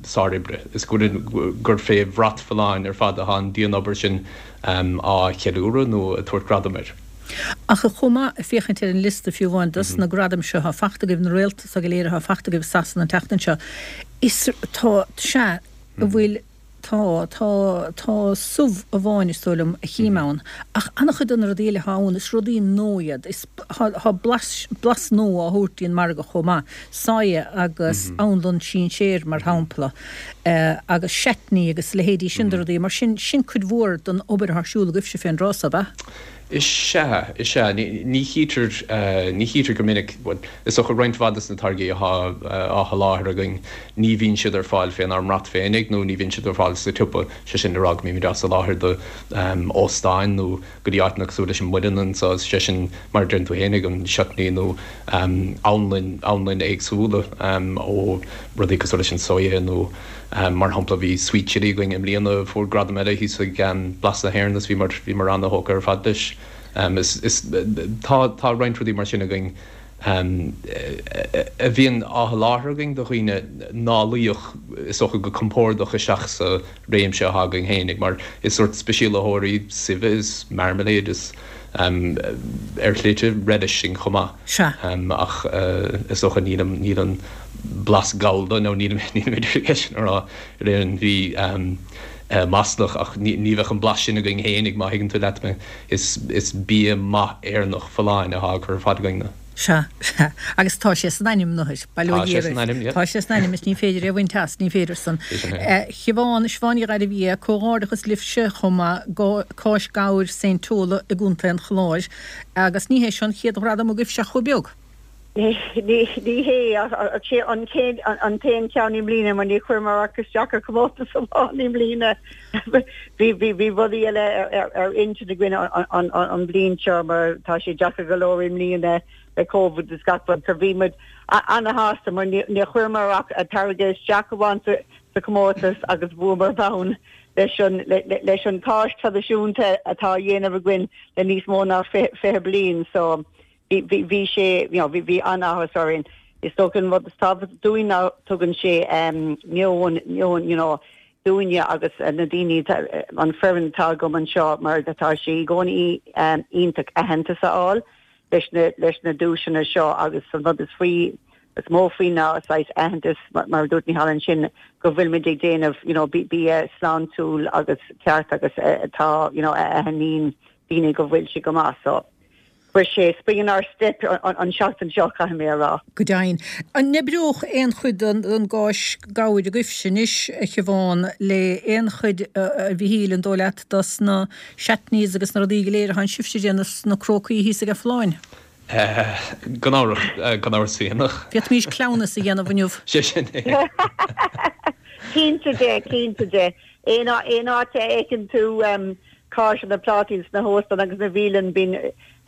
sároibre is go bhfuil, gur fé bhrat Folláin ar fad athá an dianobair sin á cheiliúradh nó ag tabhairt gradam air. Ach chomh maith, ag féachaint ar an liosta fiú amháin dos na gradaim seo atá fachta agaibh, na réalta seo go léir atá fachta agaibh i Sasana an tseachtain seo, is tá, sea, a bhfuil Tá, tá, tá subh amháin is dóigh liom a chím ann, ach an-chuid de na rudaí eile atá ann, is rudaí nua iad, is, tá, tá blas, blas nua á thabhairt dtí'n margadh chomh maith, soya agus anlann sinséir mar shampla, agus chutney agus leithéidí sin de rudaí, mar sin, sin cuid mhór den obair atá ar siúl agaibhse fén dtráth so, ab ea? Is ea, is ea. Ní chítear, ní chítear go minic, bhuel, is dócha roinnt mhaith de na táirgí atá á sholáthar againn, ní bhíonn siad ar fáil fénár mbrat féinig nó ní bhíonn siad ar fáil sa tsiopa, sé sin le rá go mbímid á soláthar do óstáin nó go dtí áiteanna cosúil leis an Muileann anseo, sé sin mar a deireann tú féinig, an chutney nó anlainn, anlainn éagsúla ó rudaí cosúil leis an soya nó. Mar shampla, bhí Sweet Chilli againn i mbliana a fuair gradam eile thíos ag Blas na hÉireann agus bhíomar bhíomar ana-thógtha ar fad leis. Is is tá tá roinnt rudaí mar sin againn a bhíonn á sholáthar againn do dhaoine ná luífeadh is dócha go compordach isteach sa réimse atá againn fhéinig mar is sórt speisialaitheoirí suibhe is marmalade is ar shlite relish sinn chomh maith. Sea. Ach is dócha níl níl an blas gallda nó níl nílimid ar ceist a rá ar aon bhí maslach ach ní ní bheadh an blas sin againn fhéinig má thuigeann tú leat mé. Is is bia maith Éireannach folláin atá á chur ar fáil againn. Sea, sea. Agus tá sé san ainm, nuair, bail ó Tá Dhia sé san oraibh. ainm, yeah. Tá sé san ainm is ní féidir é a bhaint as, ní féidir san. Is sin é. Siobhán, Siobhán Ní Ghairbhia, comhghairdeachas libhse chomh maith, Cáis Gabhair Saint Tola i gContae an Chláir. Agus ní hé seo an chéad ghradam agaibhse ach chomh beag. Ní ní hé ach sé an chéad an t-aon cheann i mbliana mar ní chuireamar ach isteach ar chomórtas amháin i mbliana. Bhí bhí bhí rudaí eile ar ar ar intinn againn an an an bhliain seo mar tá sé deacair go leor i mbliana le Covid is gach rud so bhí muid ana-shásta mar ní ní chuireamar ach a táirge isteach amháin sa sa chomórtas agus bhuamar bonn leis an le, le, leis an cáis traidisiúnta atá á dhéanamh againn le níos mó ná fiche fiche bliain so bhí bhí bhí sé you know, bhí bhí an-áthas orainn. Is dócha an rud is tábhachtaí dúinn ná tugann sé um, meon meon you know, dúinne agus uh, na daoine an foireann atá agam anseo mar atá sé i gcónaí um, iontach aitheantas a fháil leis na leis na duaiseanna seo agus an rud is faoi is mó faoi ná saghas aitheantas mar mar dúirt Micheál ansin go bhfuil muid ag déanamh you know, bia sláintiúil agus ceart agus uh, atá you know, a aithníonn daoine go bhfuil sé go maith so. Chuir sé spring in our step an, an seachtain seo caithfidh mé a rá. Go deimhin. An n-oibreodh aon chuid den den gcáis gabhair agaibhse anois a Shiobhán le aon chuid a Mhichíl an dóigh leat dos na chutneys agus na rudaí go léir atá sibhse ag déanamh sna crócaí thíos ag Folláin? Gan amhras gan amhras féinach. D'fhéadfaimis cleamhnas a dhéanamh inniu. Sé sin é. Cinnte de, cinnte de. Aon aon áit a fheiceann tú um, cáis na plátaí sna hóstáin agus na bialanna bíonn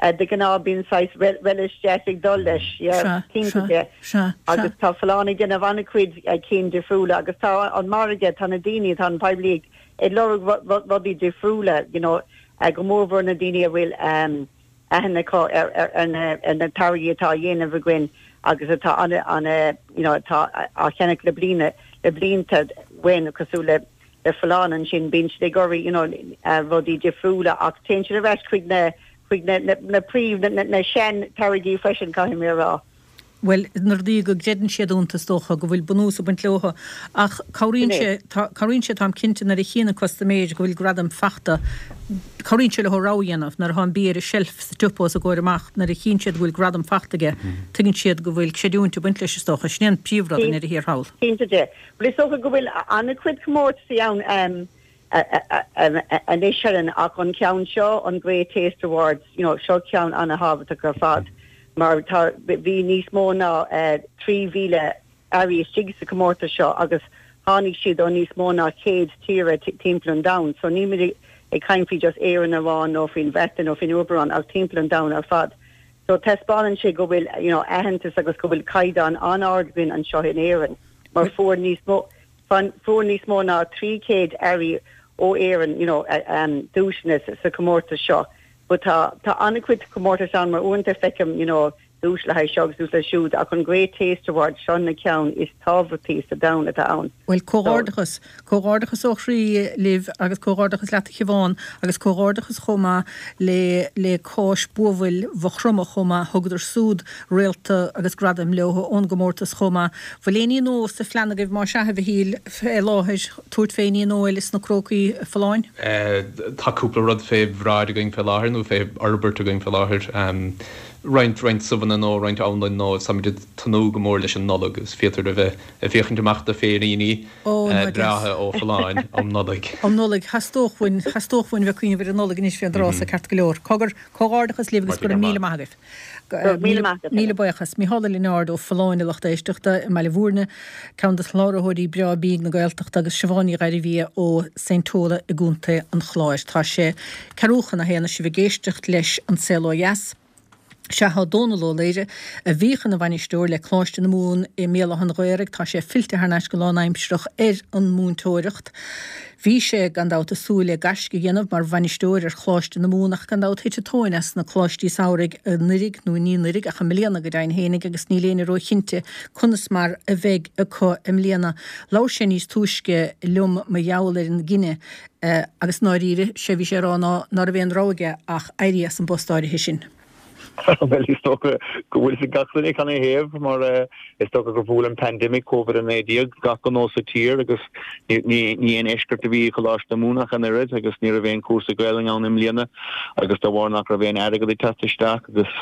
uh, de ghnáth bíonn saghas relish deas ag dul leis yeah, cinnte de. Sea, agus tá Folláin ag déanamh an-chuid cinn difriúla agus tá an margadh tá na daoine tá an poiblí ag lorg rudaí difriúla you know, uh, go mórmhór na daoine a bhfuil um, aithne acu ar, ar, ar, na, ar na táirgí atá á dhéanamh againn agus atá an an you know, atá á cheannach le bliana le blianta uainn cosúil le le Folláin ansin bíonn siad ag iarraidh you know, uh, rudaí difriúla ach téann siad ar ais chuig na chuig na, na, na príomh na, na, na sean-táirgí freisin caithfidh mé a rá. Well, na rudaí go gcreideann siad iontu is dócha go bhfuil bunús ag baint leo ach cabhraíonn sé cabhraíonn sé táim cinnte nuair a chíonn an custaiméir go bhfuil gradam fachta cabhraíonn sé leo rogha a dhéanamh nuair atá an bia ar an shelf sa tsiopa os a gcomhair amach nuair a chíonn siad go bhfuil gradam fachta aige tuigeann siad go bhfuil creidiúint ag baint leis is dócha sin an príomhrud i ndeireadh thiar thall. Cinnte de. Well is dócha go bhfuil an-chuid comórtasaí ann um, anois Helen ach an ceann seo an Great Taste Awards you know, seo ceann an-thábhachtach ar fad. mar tá bhí níos mó ná uh, trí mhíle earraí istigh sa comórtas seo agus tháinig siad ó níos mó ná céad tír timpeall an domhain, so ní muid ag caint faoi just Éirinn amháin nó faoin Bhreatain nó faoin Eoraip ach timpeall an domhain ar fad. So taispeánann sé go bhfuil you know, aitheantas agus go bhfuil caighdeán an-ard againn anseo in Éirinn, mar fuair níos mó fuair níos mó ná trí chéad earraí ó Éirinn you know, um, duaiseanna sa comórtas seo. But tá tá an-chuid comórtas ann mar uaireanta feicim you know, duais le haghaidh seo agus duais le siúd ach an Great Taste Award seo na ceann is tábhachtaí sa domhan atá ann. Bhuel comhghairdeachas, comhghairdeachas ó chroí libh agus comhghairdeachas leat a Shiobhán agus comhghairdeachas chomh maith le le Cáis Buabhaill Mhaigh Chromtha chomh maith, thugadar súd réalta agus gradaim leo ón gcomórtas chomh maith. Bhfuil aon ní nua sa phlean agaibh más ea a Mhichíl fé láthair tabhairt fé ní nua eile sna Crócaí Folláin? Tá cúpla rud fé bhráid againn fé láthair nó fé fhorbairt againn fé láthair. Roinnt roinnt subhanna nó roinnt anlann nó táimid ag tnúth go mór leis an Nollaig is féidir a bheith ag féachaint amach do féiríní breátha ó Folláin um Nollaig. Um Nollaig, theastódh uainn, theastódh uainn bheith ag cuimhneamh ar an Nollaig anois fén dtráth so ceart go leor. Cogar, comhghairdeachas libh agus go raibh míle maith agaibh. Míle maith agat. Míle buíochas. Mícheál Ó Lionáird ó Folláin a lucht éisteachta i mBaile Bhúirne, ceann de chláraitheoirí Breá Bídh na Gaeltachta agus Siobhán Ní Ghairbhia ó Saint Tola i gContae an Chláir. Tá sé ceathrú chun a haon is sibh ag éisteacht leis An Saol Ó Dheas. Sea, tá Dónal Ó Laoire, a bhíodh ina bhainisteoir le Coláiste na Mumhan i mBéal Átha an Ghaorthaidh, tá sé fillte thar n-ais go lánaimsearach ar an múinteoireacht. Bhí sé, gan dabht, ag súil le gaisce a dhéanamh mar bhainisteoir ar Choláiste na Mumhan ach gan dabht thit an tóin as na coláistí samhraidh anuiridh, nó ní anuiridh ach i mbliana go deimhin fhéinig agus níl éinne róchinnte conas mar a bheidh acu i mbliana. Labhair sé níos túisce liom mar gheall ar an gcinneadh agus i ndáiríre, sé a bhí sé a rá ná ná raibh aon rogha aige ach éirí as an bpost áirithe sin. Bhuel, is dócha go bhfuil fhios ag gach duine canathaobh, mar is dócha gur bhuail an pandemic Covid a naoi déag gach gnó sa tír agus ní aon eisceacht a bhí i Choláiste na Mumhan ach an oiread agus ní raibh aon chúrsa Gaelainne ann i mbliana agus de bharr nach raibh aon airgead ag teacht isteach agus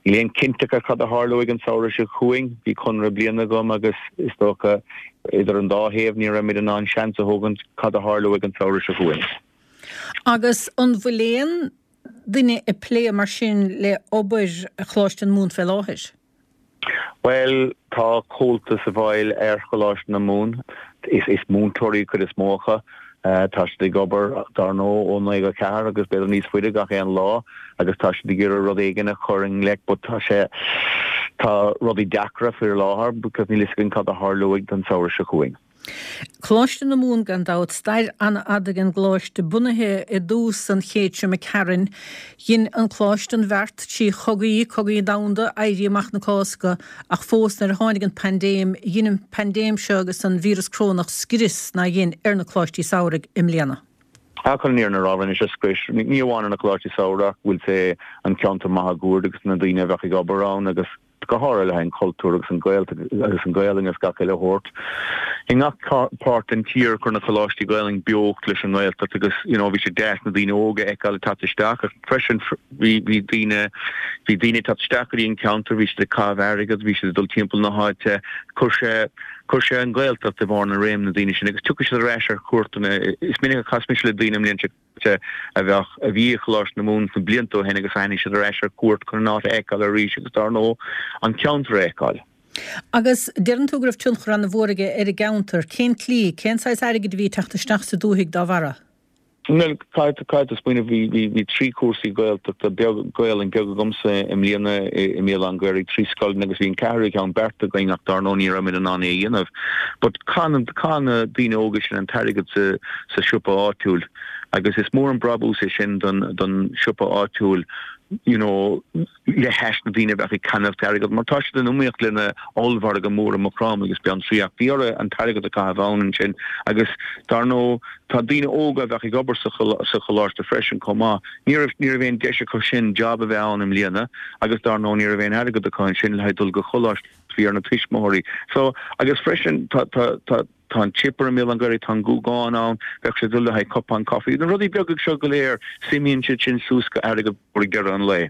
níl aon cinnteacht ar cad a tharlóidh an samhradh seo chugainn. Bhí conradh bliana agam agus is dócha idir an dá thaobh ní raibh muid in ann seans a thógaint cad a tharlóidh an samhradh seo chugainn. Agus an bhfuil aon duine ag plé mar sin le obair Choláiste na Mumhan fé láthair? Bhuel, tá Comhaltas i bhfeighil ar Choláiste na Mumhan. Is is múinteoirí cuid is mó acu. Tá siad ag obair, dar ndóigh, ó naoi go ceathair agus b'fhéidir níos faide gach aon lá agus tá siad ag iarraidh rud éigin a chur i ngleic but tá sé, tá rudaí deacra faoi láthair because níl fhios againn cad a tharlóidh don samhradh seo chugainn. Coláiste na Mumhan gan dabht, stair an-fhada ag an gcoláiste, bunaithe i dtús an chéid seo imigh tharainn. Dhein an coláiste an bheart trí chogaí, cogaí domhanda, Éirí Amach na Cásca, ach fós nuair a tháinig an paindéim, dhein an paindéim seo agus an víreas corónach scrios nár dhein ar na coláistí samhraidh i mbliana. Ach chun an fhírinne a rá, rinne sé scrios, ní amháin ar na coláistí samhraidh ach bhfuil sé an ceantar máguaird agus na daoine a bheadh ag obair ann agus go háirithe le haghaidh an cultúr agus an Ghaeltacht agus an Ghaelainn agus gach uile shórt. I ngach páirt den tír chuir na coláistí Gaelainn beocht leis an nGaeltacht agus you know bhí sé deas na daoine óga a fheiceáil ag teacht isteach ach freisin bhí bhí daoine bhí daoine ag teacht isteach go dtí an ceantar, bhí siad ag caitheamh airgead, bhí siad ag dul timpeall na háite, chuir sé chuir sé an Ghaeltacht i bharr na réim na daoine sin agus tiocfaidh siad ar ais ar chuairteanna. Is minic a chas mise le daoine i mbliain seo a bheadh, a bhí i Choláiste na Mumhan sna blianta ó shin agus tháinig siad ar ais ar cuairt chun an áit a fheiceáil arís agus dar ndóigh an ceantar a fheiceáil. Agus deireann tú go raibh tionchar an-mhór aige ar an gceantar. Cén tslí, cén saghas airgid a bhí ag teacht isteach sa dúthaigh dá bharra? Bhuel, caithfidh tú smaoineamh, bhí, bhí, bhí trí chúrsaí Gaeltachta beag, Gaelainn beag agamsa i mbliana i mBéal Átha an Ghaorthaidh, trí scoileanna agus bhí an ceathrú ceann beartaithe againn ach dar ndóigh ní raibh muid in ann é a dhéanamh. But chaith, chaith na daoine óga sin an t-airgead sa, sa siopa áitiúil. Agus is mór an brabús é sin don don siopa áitiúil you know le hais na daoine a bheadh ag ceannacht airgead mar tá siad in iomaíocht le na ollmhargadh mór i Maigh Chromtha agus Beanntraí ach bhí orthu an t-airgead a chaitheamh ann ansin agus dar ndóigh tá daoine óga a bheadh ag obair sa sa choláiste freisin chomh maith. Ní raibh ní raibh aon deis acu sin job a bheith ann i mbliana agus dar ndóigh ní raibh aon airgead acu ansin le haghaidh dul go choláiste bhí ar na tuismitheoirí. So agus freisin tá tá tá Tá an chipper i mBéal Átha an Ghaorthaidh, tá an Gúgán ann, bheadh sé ag dul le haghaidh cupán coffee. Na rudaí beaga seo go léir, suimíonn siad sin suas go airgead mór ag deireadh an lae.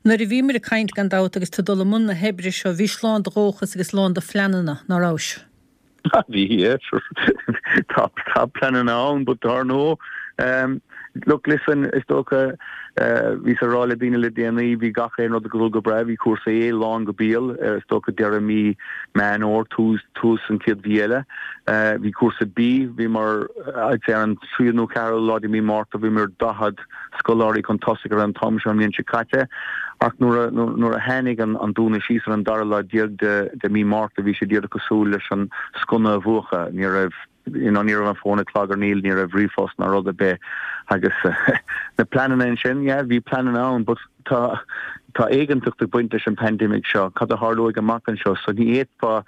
Nuair a bhíomar ag caint, gan dabht, agus tú ag dul i mbun na hoibre seo, bhís lán de dhóchas agus lán de phleananna, ná rabhais? Bhí, yeah, sure. Tá, tá pleananna ann, but dar ndóigh, Look, listen, is dócha, bhíos ag rá le daoine le déanaí, bhí gach aon rud ag dul go breá, bhí cúrsa A lán go béal, is dócha deireadh mí Meán Fhómhair, tús, tús an chéad mhí eile. Bhí cúrsa B, bhíomar, I'd say ar an tríú nó ceathrú lá de mí Márta, bhíomar daichead scoláirí chun tosaigh ar an t-am seo an bhliain seo caite. Ach nuair a, nuair a tháinig an, an dúnadh síos ar an dara lá déag de, de mí Márta, bhí sé díreach cosúil leis an sconna a mhúchadh, ní raibh, you know, ní raibh an fón ag clagarnaíl, ní raibh ríomhphost ná rud ar bith Agus na pleananna ansin, yeah, bhí pleananna ann, but tá tá éiginnteacht ag baint leis an pandemic seo, cad a tharlóidh amach anseo, so ní fhéadfá,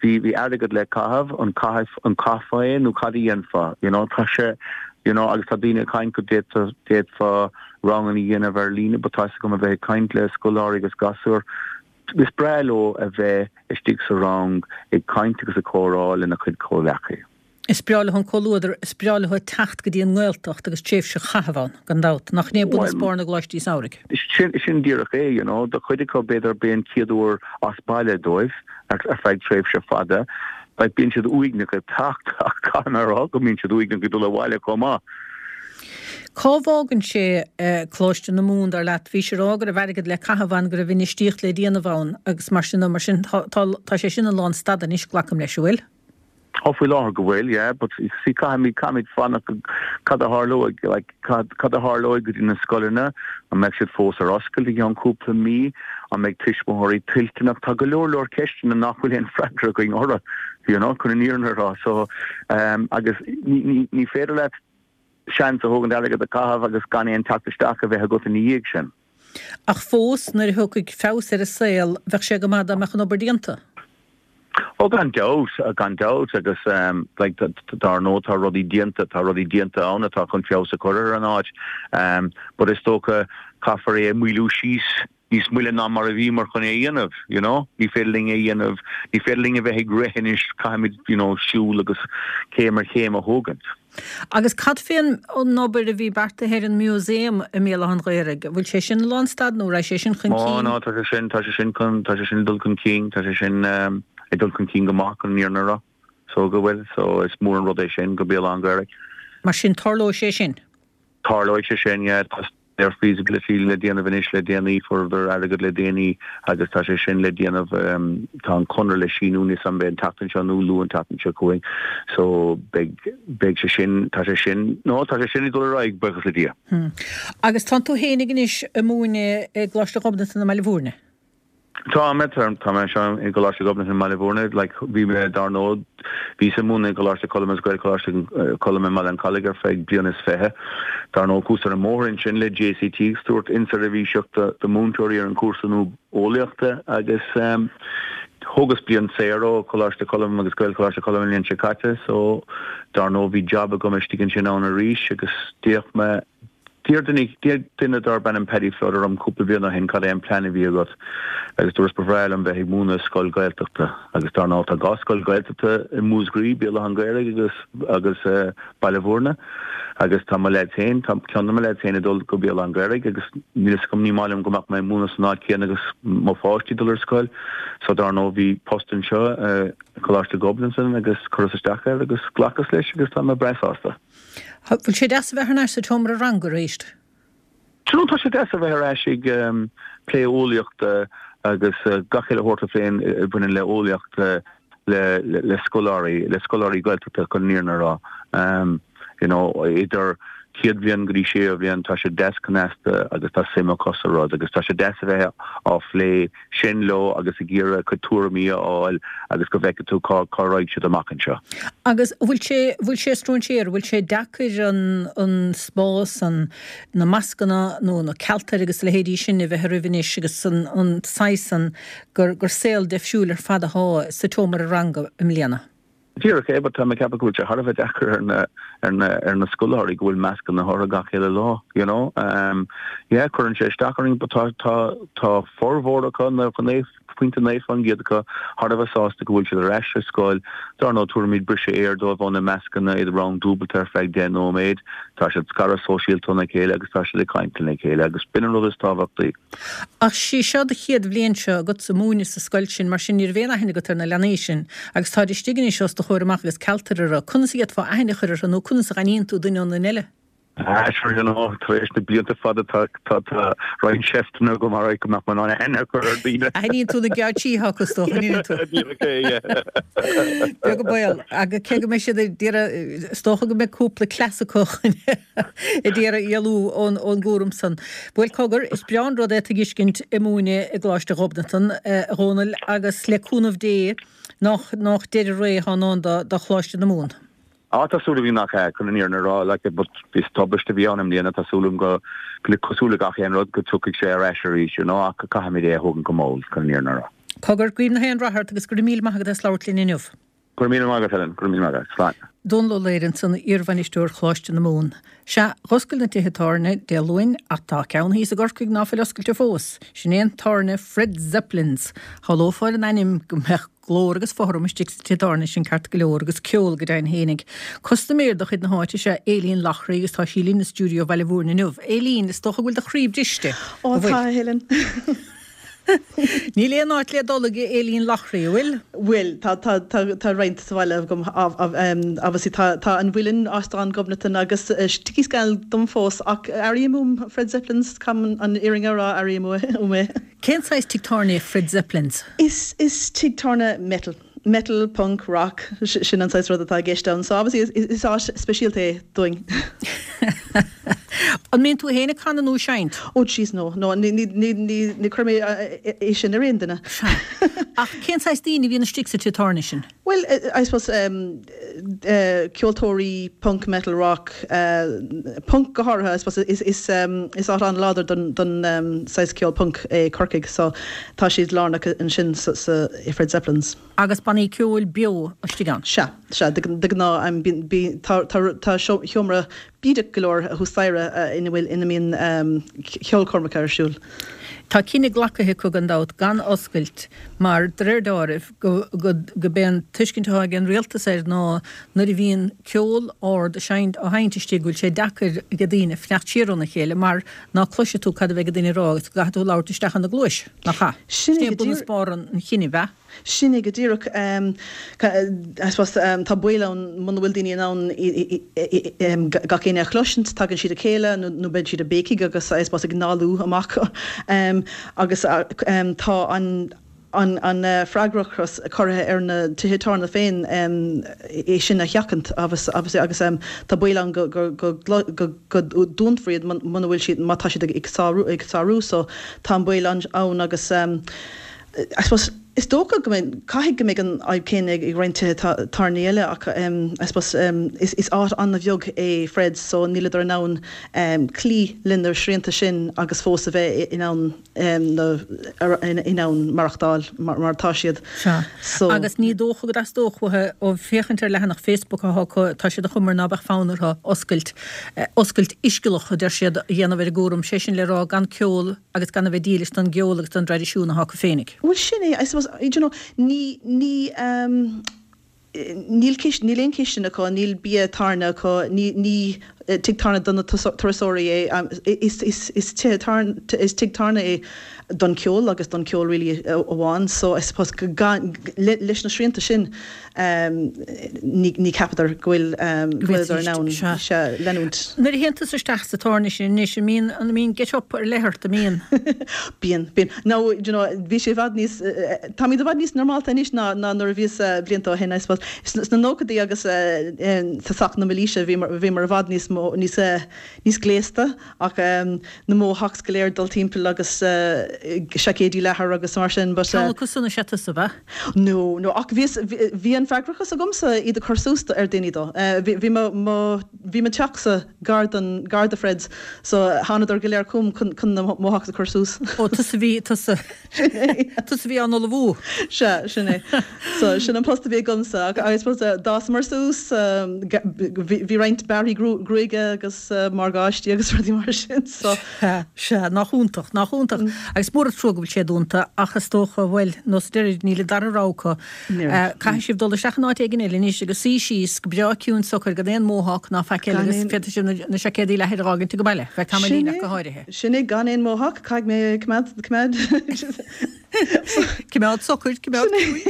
bhí bhí airgead le caitheamh, an caithf an caithfeá é nó cad a dhéanfá, you know, tá sé, you know, agus tá daoine ag caint go d'fhéadfá d'fhéadfá ranganna a dhéanamh ar líne, but tá 'fhios agam a bheith ag caint le scoláirí agus gasúir, is breá leo a bheith istigh sa rang ag caint agus ag comhrá lena chuid comhleacaí. Is breá leo an comhluadar, is breá leo teacht go dtí an nGaeltacht agus tréimhse a chaitheamh ann, gan dabht. Nach in é bunchuspóir na gcoláistí samhraidh? Sin, sin díreach é, you know. Do chuid acu, b'fhéidir, b'é an chéad uair as baile dóibh ar, ar feadh tréimhse fada. Like, bíonn siad uaigneach ag teacht ach caithfidh mé a rá go mbíonn siad uaigneach ag dul abhaile chomh maith. Cá bhfágann sé Coláiste na Mumhan, dar leat? Bhís ag rá go raibh airgead le caitheamh ann, go raibh infheistíocht le déanamh ann agus mar sin de. Mar sin, tá, tá, tá sé sin i lánstad anois, glacaim leis, an bhfuil? Ó, faoi láthair go bhfuil, yeah, but see, caithfimid, caithfimid fanacht cad a tharlóidh, like, cad, cad a tharlóidh go dtí na scoileanna, an mbeidh siad fós ar oscailt i gceann cúpla mí, an mbeidh tuismitheoirí toilteanach, tá go leor leor ceisteanna nach bhfuil aon freagra againn orthu, you know, chun an fhírinne a rá, so, um, agus ní, ní, ní féidir leat seans a thógaint airgead a chaitheamh agus gan aon teacht isteach a bheith agat ina dhiaidh sin. Ach fós, nuair a thiocfaidh feabhas ar an saol, bheadh sé go maith dá mbeadh an obair déanta. Ó gan dabht, gan dabht agus like dar ndóigh tá rudaí déanta, tá rudaí déanta ann atá chun feabhas a chur ar an áit but is dócha caithfear é a mhoilliú síos níos moille ná mar a bhíomar chun é a dhéanamh, you know. Ní féidir linn é a dhéanamh, ní féidir linn a bheith ag rith anois, caithfimid, you know, siúl agus céim ar chéim a thógaint. Agus cad fén obair a bhí beartaithe ar an Museum i mBéal Átha an Ghaorthaidh? Bhfuil sé sin i lánstad nó raibh sé sin chun cinn? Ó no, tá sé sin, tá sé sin chun, tá sé sin ag dul chun cinn, tá sé sin ag dul chun cinn go maith chun an fhírinne a rá. So go bhfuil, so is mór an rud é sin go Béal Átha an Ghaorthaidh. Mar sin tarlóidh sé sin? Tarlóidh sé sin, yeah. Tá staidéar feasibility le déanamh anois le déanaí, fuaireadar airgead le déanaí agus tá sé sin le déanamh, tá an conradh le síniú níl 'fhios a'm an mbeidh an tseachtain seo nó luath an tseachtain seo chugainn so beidh, beidh sé sin, tá sé sin, no tá sé sin ag dul ar aghaidh, buíochas le Dia. Agus tánn tú fhéinig anois ag múineadh i gColáiste Ghobnatan i mBaile Bhúirne? Tá mé, tá mé anseo i gColáiste Ghobnatan i mBaile Bhúirne, like bhí mé dar ndóigh, bhíos ag múineadh i gColáiste Choilm agus Gaelcholáiste Choilm i mBaile an Chollaigh ar feadh bliain is fiche. Dar ndóigh chuas ar an mbóthar ansin le JCT ag tabhairt inseirbhíseach do do mhúinteoirí ar an chúrsa nua eolaíochta agus thógas bliain saor ó Choláiste Choilm agus Gaelcholáiste Choilm an bhliain seo caite so dar ndóigh bhí job agam istigh ansin ann arís agus d'fhéach mé D'iarr duine, d'iarr duine darb ainm Paddy Flood orm cúpla bliain ó shin cad é an plean a bhí agat agus dúras ba bhreá liom bheith ag múineadh i scoil Ghaeltachta agus dar ndóigh tá dhá scoil Ghaeltachta i Múscraí, Béal Átha an Ghaorthaidh agus agus Baile Bhúirne agus tá mo leaids féin, tá ceann de mo leaids féin ag dul go Béal Átha an Ghaorthaidh agus níl fhios agam, ní maith liom go mbeadh mé ag múineadh san áit chéanna agus mo pháistí ag dul ar scoil so dar ndóigh bhí post anseo i Coláiste Ghobnatan agus chuireas isteach air agus ghlacas leis agus tá mé breá sásta. Bhfuil sé deas a bheith thar n-ais sa tseomra ranga arís? Do you know, tá sé deas a bheith ar ais ag plé eolaíochta agus gach uile shórt a phléann a bhaineann le eolaíocht le le scoláirí, le scoláirí Gaeltachta chun an fhírinne a rá. You know, idir chéad bhliain go dtí séú bhliain tá sé deas cneasta agus tá suim acu sa rud agus tá sé deas a bheith á phlé sin leo agus ag iarraidh a gcuid tuairimí a fháil agus go bhfeicfidh tú cá cá raghaidh siad amach anseo. Agus an bhfuil sé, bhfuil sé stróinséartha, bhfuil sé deacair an, an spás, an, na mascanna nó na cealtair agus a leithéidí sin a bheith oraibh anois agus an, an saghas san gur, gur saol deifriúil ar fad athá sa tseomra ranga i mbliana? Díreach é, but tá mé ag ceapadh go bhfuil sé thar a bheith deacair ar na, ar na, ar na scoláirí go bhfuil mascanna orthu gach uile lá, you know. Um, yeah, cuireann sé isteach orainn, but tá, tá, tá formhór acu, nócha naoi pointe naoi faoin gcéad acu, thar a bheith sásta go bhfuil siad ar ais ar scoil. Dar ndóigh, tabhraimid briseadh aeir dóibh ó na mascanna, iad i rang dúbailte ar feadh deich nóiméad. Tá siad scartha sóisialta óna chéile agus tá siad ag caint lena chéile agus b'in an rud is tábhachtaí. Ach sí seo do chéad bhliain seo agatsa ag múineadh sa scoil sin, mar sin ní raibh aon aithne agat ar na leanaí sin, agus táid istigh anois os do chomhair amach agus cealtair orthu. Conas a d'fhéadfá aithne a chur orthu nó conas a dh'aithníonn tú duine ón nduine eile? Ah, sure, you know, tar éis na blianta fada tá, tá, tá roinnt seifteanna agam ar go mbeadh mé in ann aithne a chur ar daoine. Aithníonn tú na geáitsí atá acu, is dócha, an aithníonn tú? Díreach é, yeah. Beag an baol. Agus cé go mbeidh siad ag iarraidh, is dócha go mbeidh cúpla cleas acu chun ag iarraidh éalú ón ón gcúram san. Bhuel, cogar, is breá an rud é tú a dh'fheiscint ag múineadh i gColáiste Ghobnatan, a Dhónaill, agus le cúnamh Dé, nách, nách deireadh ré atá i ndán do, do Choláiste na Mumhan. Á tá súil agam nach ea, chun an fhírinne a rá, like, but is tubaiste a bhí ann i mbliana, tá súil agam go, go cosúil le gach aon rud, go dtiocfaidh sé ar ais arís, you know, ach caithfimid é a thógaint go mall, chun an fhírinne a rá. Cogar, guím na haon rath ort agus go raibh míle maith agat as labhairt linn inniu. Go raibh míle maith agat, Helen, go raibh míle maith agat. Slán. Dónal Ó Laoghaire ansan, iarbhainisteoir Choláiste na Mumhan. Sea, dh'oscail na tithe tábhairne Dé Luain ach tá ceann thíos i gCorcaigh ná fuil oscailte fós. Sin é an tábhairne Fred Zeppelin's. Shamhlófá ar an ainm go mbeadh glór agus fothram istigh sa tigh tábhairne sin ceart go leor agus ceol go deimhin fhéinig. Custaiméir de chuid na háite is ea Aileen Loughrey agus tá sí linn i stiúideo Bhaile Mhúirne inniu. Aileen, is dócha go bhfuil do chroí briste. Ó tá, a Helen. Níl aon áit le dul ag Aileen Loughrey, an bhfuil? Bhfuil, tá, tá, tá, tá roinnt sa bhaile agam, obviously tá, tá an Mhuileann, Óstán Ghobnatan agus Tickey Scannell dom fós ach airím uaim Fred Zeppelin's, caithfidh an fhírinne a rá, airím uaim é. Cén saghas tigh tábhairne é Fred Zeppelin's? Is, is tigh tábhairne metal. Metal, punk, rock, sin an saghas rud atá i gceist ann. So obviously is, is áit speisialta é dúinn. An mbíonn tú féin ag canadh nó ag seinnt? Oh jeez no, no, ní, ní, ní, ní, ní chuir mé é sin ar aon duine. Ach cén saghas daoine a bhíonn istigh sa tigh tábhairne sin? Well, I suppose um, uh, ceoltóirí punk, metal, rock, uh, punk go háirithe, I suppose is, is, um, is áit an-láidir don, don um, saghas ceol punk é Corcaigh, so tá siad lárnach ansin sa, sa, i Fred Zeppelin's. Agus bannaí ceoil beo istigh ann? Sea, sea, de, de ghnáth um, bí, bí, tá, tá, tá seomra bídeach go leor thuas staighre ina bhfuil ina mbíonn um, ceolchoirmeacha ar siúl. Tá cinneadh glactha acu gan dabht gan oscailt mar de réir dealraimh go go go b'é an tuiscint atá ag an rialtas air ná nuair a bhíonn ceol ard á seinnt á sheinnt istigh go bhfuil sé deacair ag daoine fanacht siar óna chéile mar ná cloisfidh tú cad a bheidh ag duine a rá agus go gcaithfidh tú labhairt isteach ina gcluais, nach ea? Sin Sin é é go bunús díreach. barr an chinnidh, ab ea? Sin é go díreach. I suppose tá baol ann muna bhfuil daoine in ann gach éinne a chloisint, tagann siad a chéile nó beidh siad ag béicigh agus I suppose ag análú amach agus tá an an an freagrachas curtha ar na tithe tábhairne féin é sin a sheachaint agus agus agus tá baol ann go go go go go dúnfar iad muna bhfuil siad má tá siad ag sárú ag sárú so tá an baol ann agus I suppose is dócha go mbeidh caithfidh go mbeidh an fhadhb céanna ag roinnt tithe tábhairne eile ach I suppose is is áit an-bheag é Fred's so níleadar in ann cloí lena srianta sin agus fós a bheith in ann in ann maireachtáil mar mar atá siad. Sea. So. Agus ní dócha go dteastódh uathu ó féachaint ar leathanach Facebook atá acu tá siad ag cur ná beadh fonn orthu oscailt oscailt uiscealach a deir siad a dhéanamh ar a gcúram, sé sin le rá gan ceol agus gan a bheith dílis don gceol agus don dtraidisiún atá acu féinig. Bhuel sin é, I suppose, you know, ní, ní, um, níl cist, níl aon chistin acu, níl bia tábhairne acu, ní, ní tigh tábhairne do na turasóirí é, um, is, is, is tigh tábhairne, is tigh tábhairne é don ceol agus don ceol really amháin, so I suppose gan, le, leis na srianta sin um, ní, ní ceapadar go bhfuil um, go bhfuileadar in ann sea, leanúint. Nuair a théann tusa isteach sa tábhairne sin anois, an mbíonn, an mbíonn get up ar leith ort, an mbíonn? Bíonn, bíonn. Now, you know, bhí sé i bhfad níos, táimid i bhfad níos normálta anois ná, ná nuair a bhíos blianta ó shin, I suppose. Sna nóchaidí agus tosach na mílaoise bhí bhí mar i bhfad níos mó, níos, níos gléasta ach na mohawks go léir dul timpeall agus seaicéidí leathair agus mar sin, but. Ceann acu san is ea tusa, ab ea? No, no, ach bhíos, bhí an freagrachas agamsa iad a chur suas ar daoine dó. Bhí, bhí mo, mo, bhí mo teachsa gar don, gar do Fred's so thánadar go léir chugam chun, chun na mohawks a chur suas. Ó, tusa bhí, tusa, tusa bhí á n-ullmhú. Sea, sin é. So sin an post a bhí agamsa ach I suppose d'fhásamar suas, bhí, bhí roinnt bearrthaí gruaige agus morgáistí agus rudaí mar sin so. Sea, sea, nach iontach, nach iontach. Agus mór an trua go bhfuil sé dúnta ach is dócha, bhuel, nós deiridh níl an dara rogha acu. Caithfidh sibh dul isteach in áit éigin eile anois agus suí síos go breá ciúin socair gan aon mohawk ná faic eile agus féadfaidh sibh na seaicéadaí leathair a fhágaint ag baile, feadh tamaillín ach go háirithe. Sin é, gan aon mohawk, caithfidh mé coimeád, coimeád. Coimeád socair, coimeád ciúin.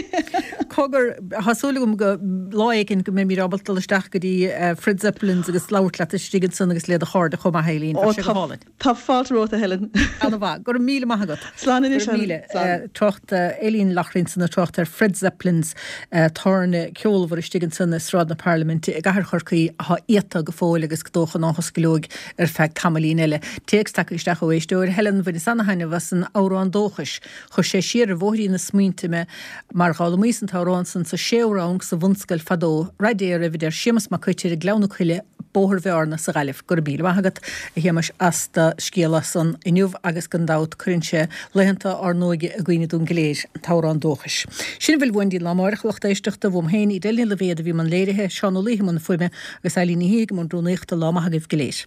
Cogar, tá súil agam go lá éigin go mbeimid ábalta dul isteach go dtí Fred Zeppelin's agus labhairt leat istigh ansan agus le do chairde chomh maith, Aileen, bheadh sé go hálainn. Tá fáilte romhat, a Helen. Ana-mhaith. Go raibh míle maith agat. Slán anois, Go raibh míle. Helen. Trácht Aileen Loughrey ansan ag trácht ar Fred Zeppelin's, tábhairne ceolmhar istigh ansan i Sráid na Parlaiminte i gCathair Chorcaí atá iata go fóill agus go dócha ná hosclóidh ar feadh tamaillín eile. Téacs tagtha isteach ó éisteoir, Helen, bhaineas ana-thaitneamh as an amhrán dóchais. Chuir sé sé siar ar bhóithrín na smaointe mé mar dh'fhoghlaimíos an t-amhrán san sa séú rang sa bhunscoil fadó. Rath Dé oraibh, a deir Séamus Mac Coitir i nGleann na Coille, Bóthar Bhearna sa Ghaillimh. Go raibh míle maith agat, a Shéamais, as do scéala san inniu agus gan dabht cuireann sé laethanta ár n-óige i gcuimhne dúinn go léir, an t-amhrán dóchais. Sin a bhfuil uainn go dtí an lá amárach, a lucht éisteachta. Uaim féin, Edel Ní Loibhéad a bhí i mbun léirithe, Seán Ó Laoithe i mbun fuaime agus Eileen Ní Shíthigh i mbun rúnaíochta. Lá maith agaibh go léir.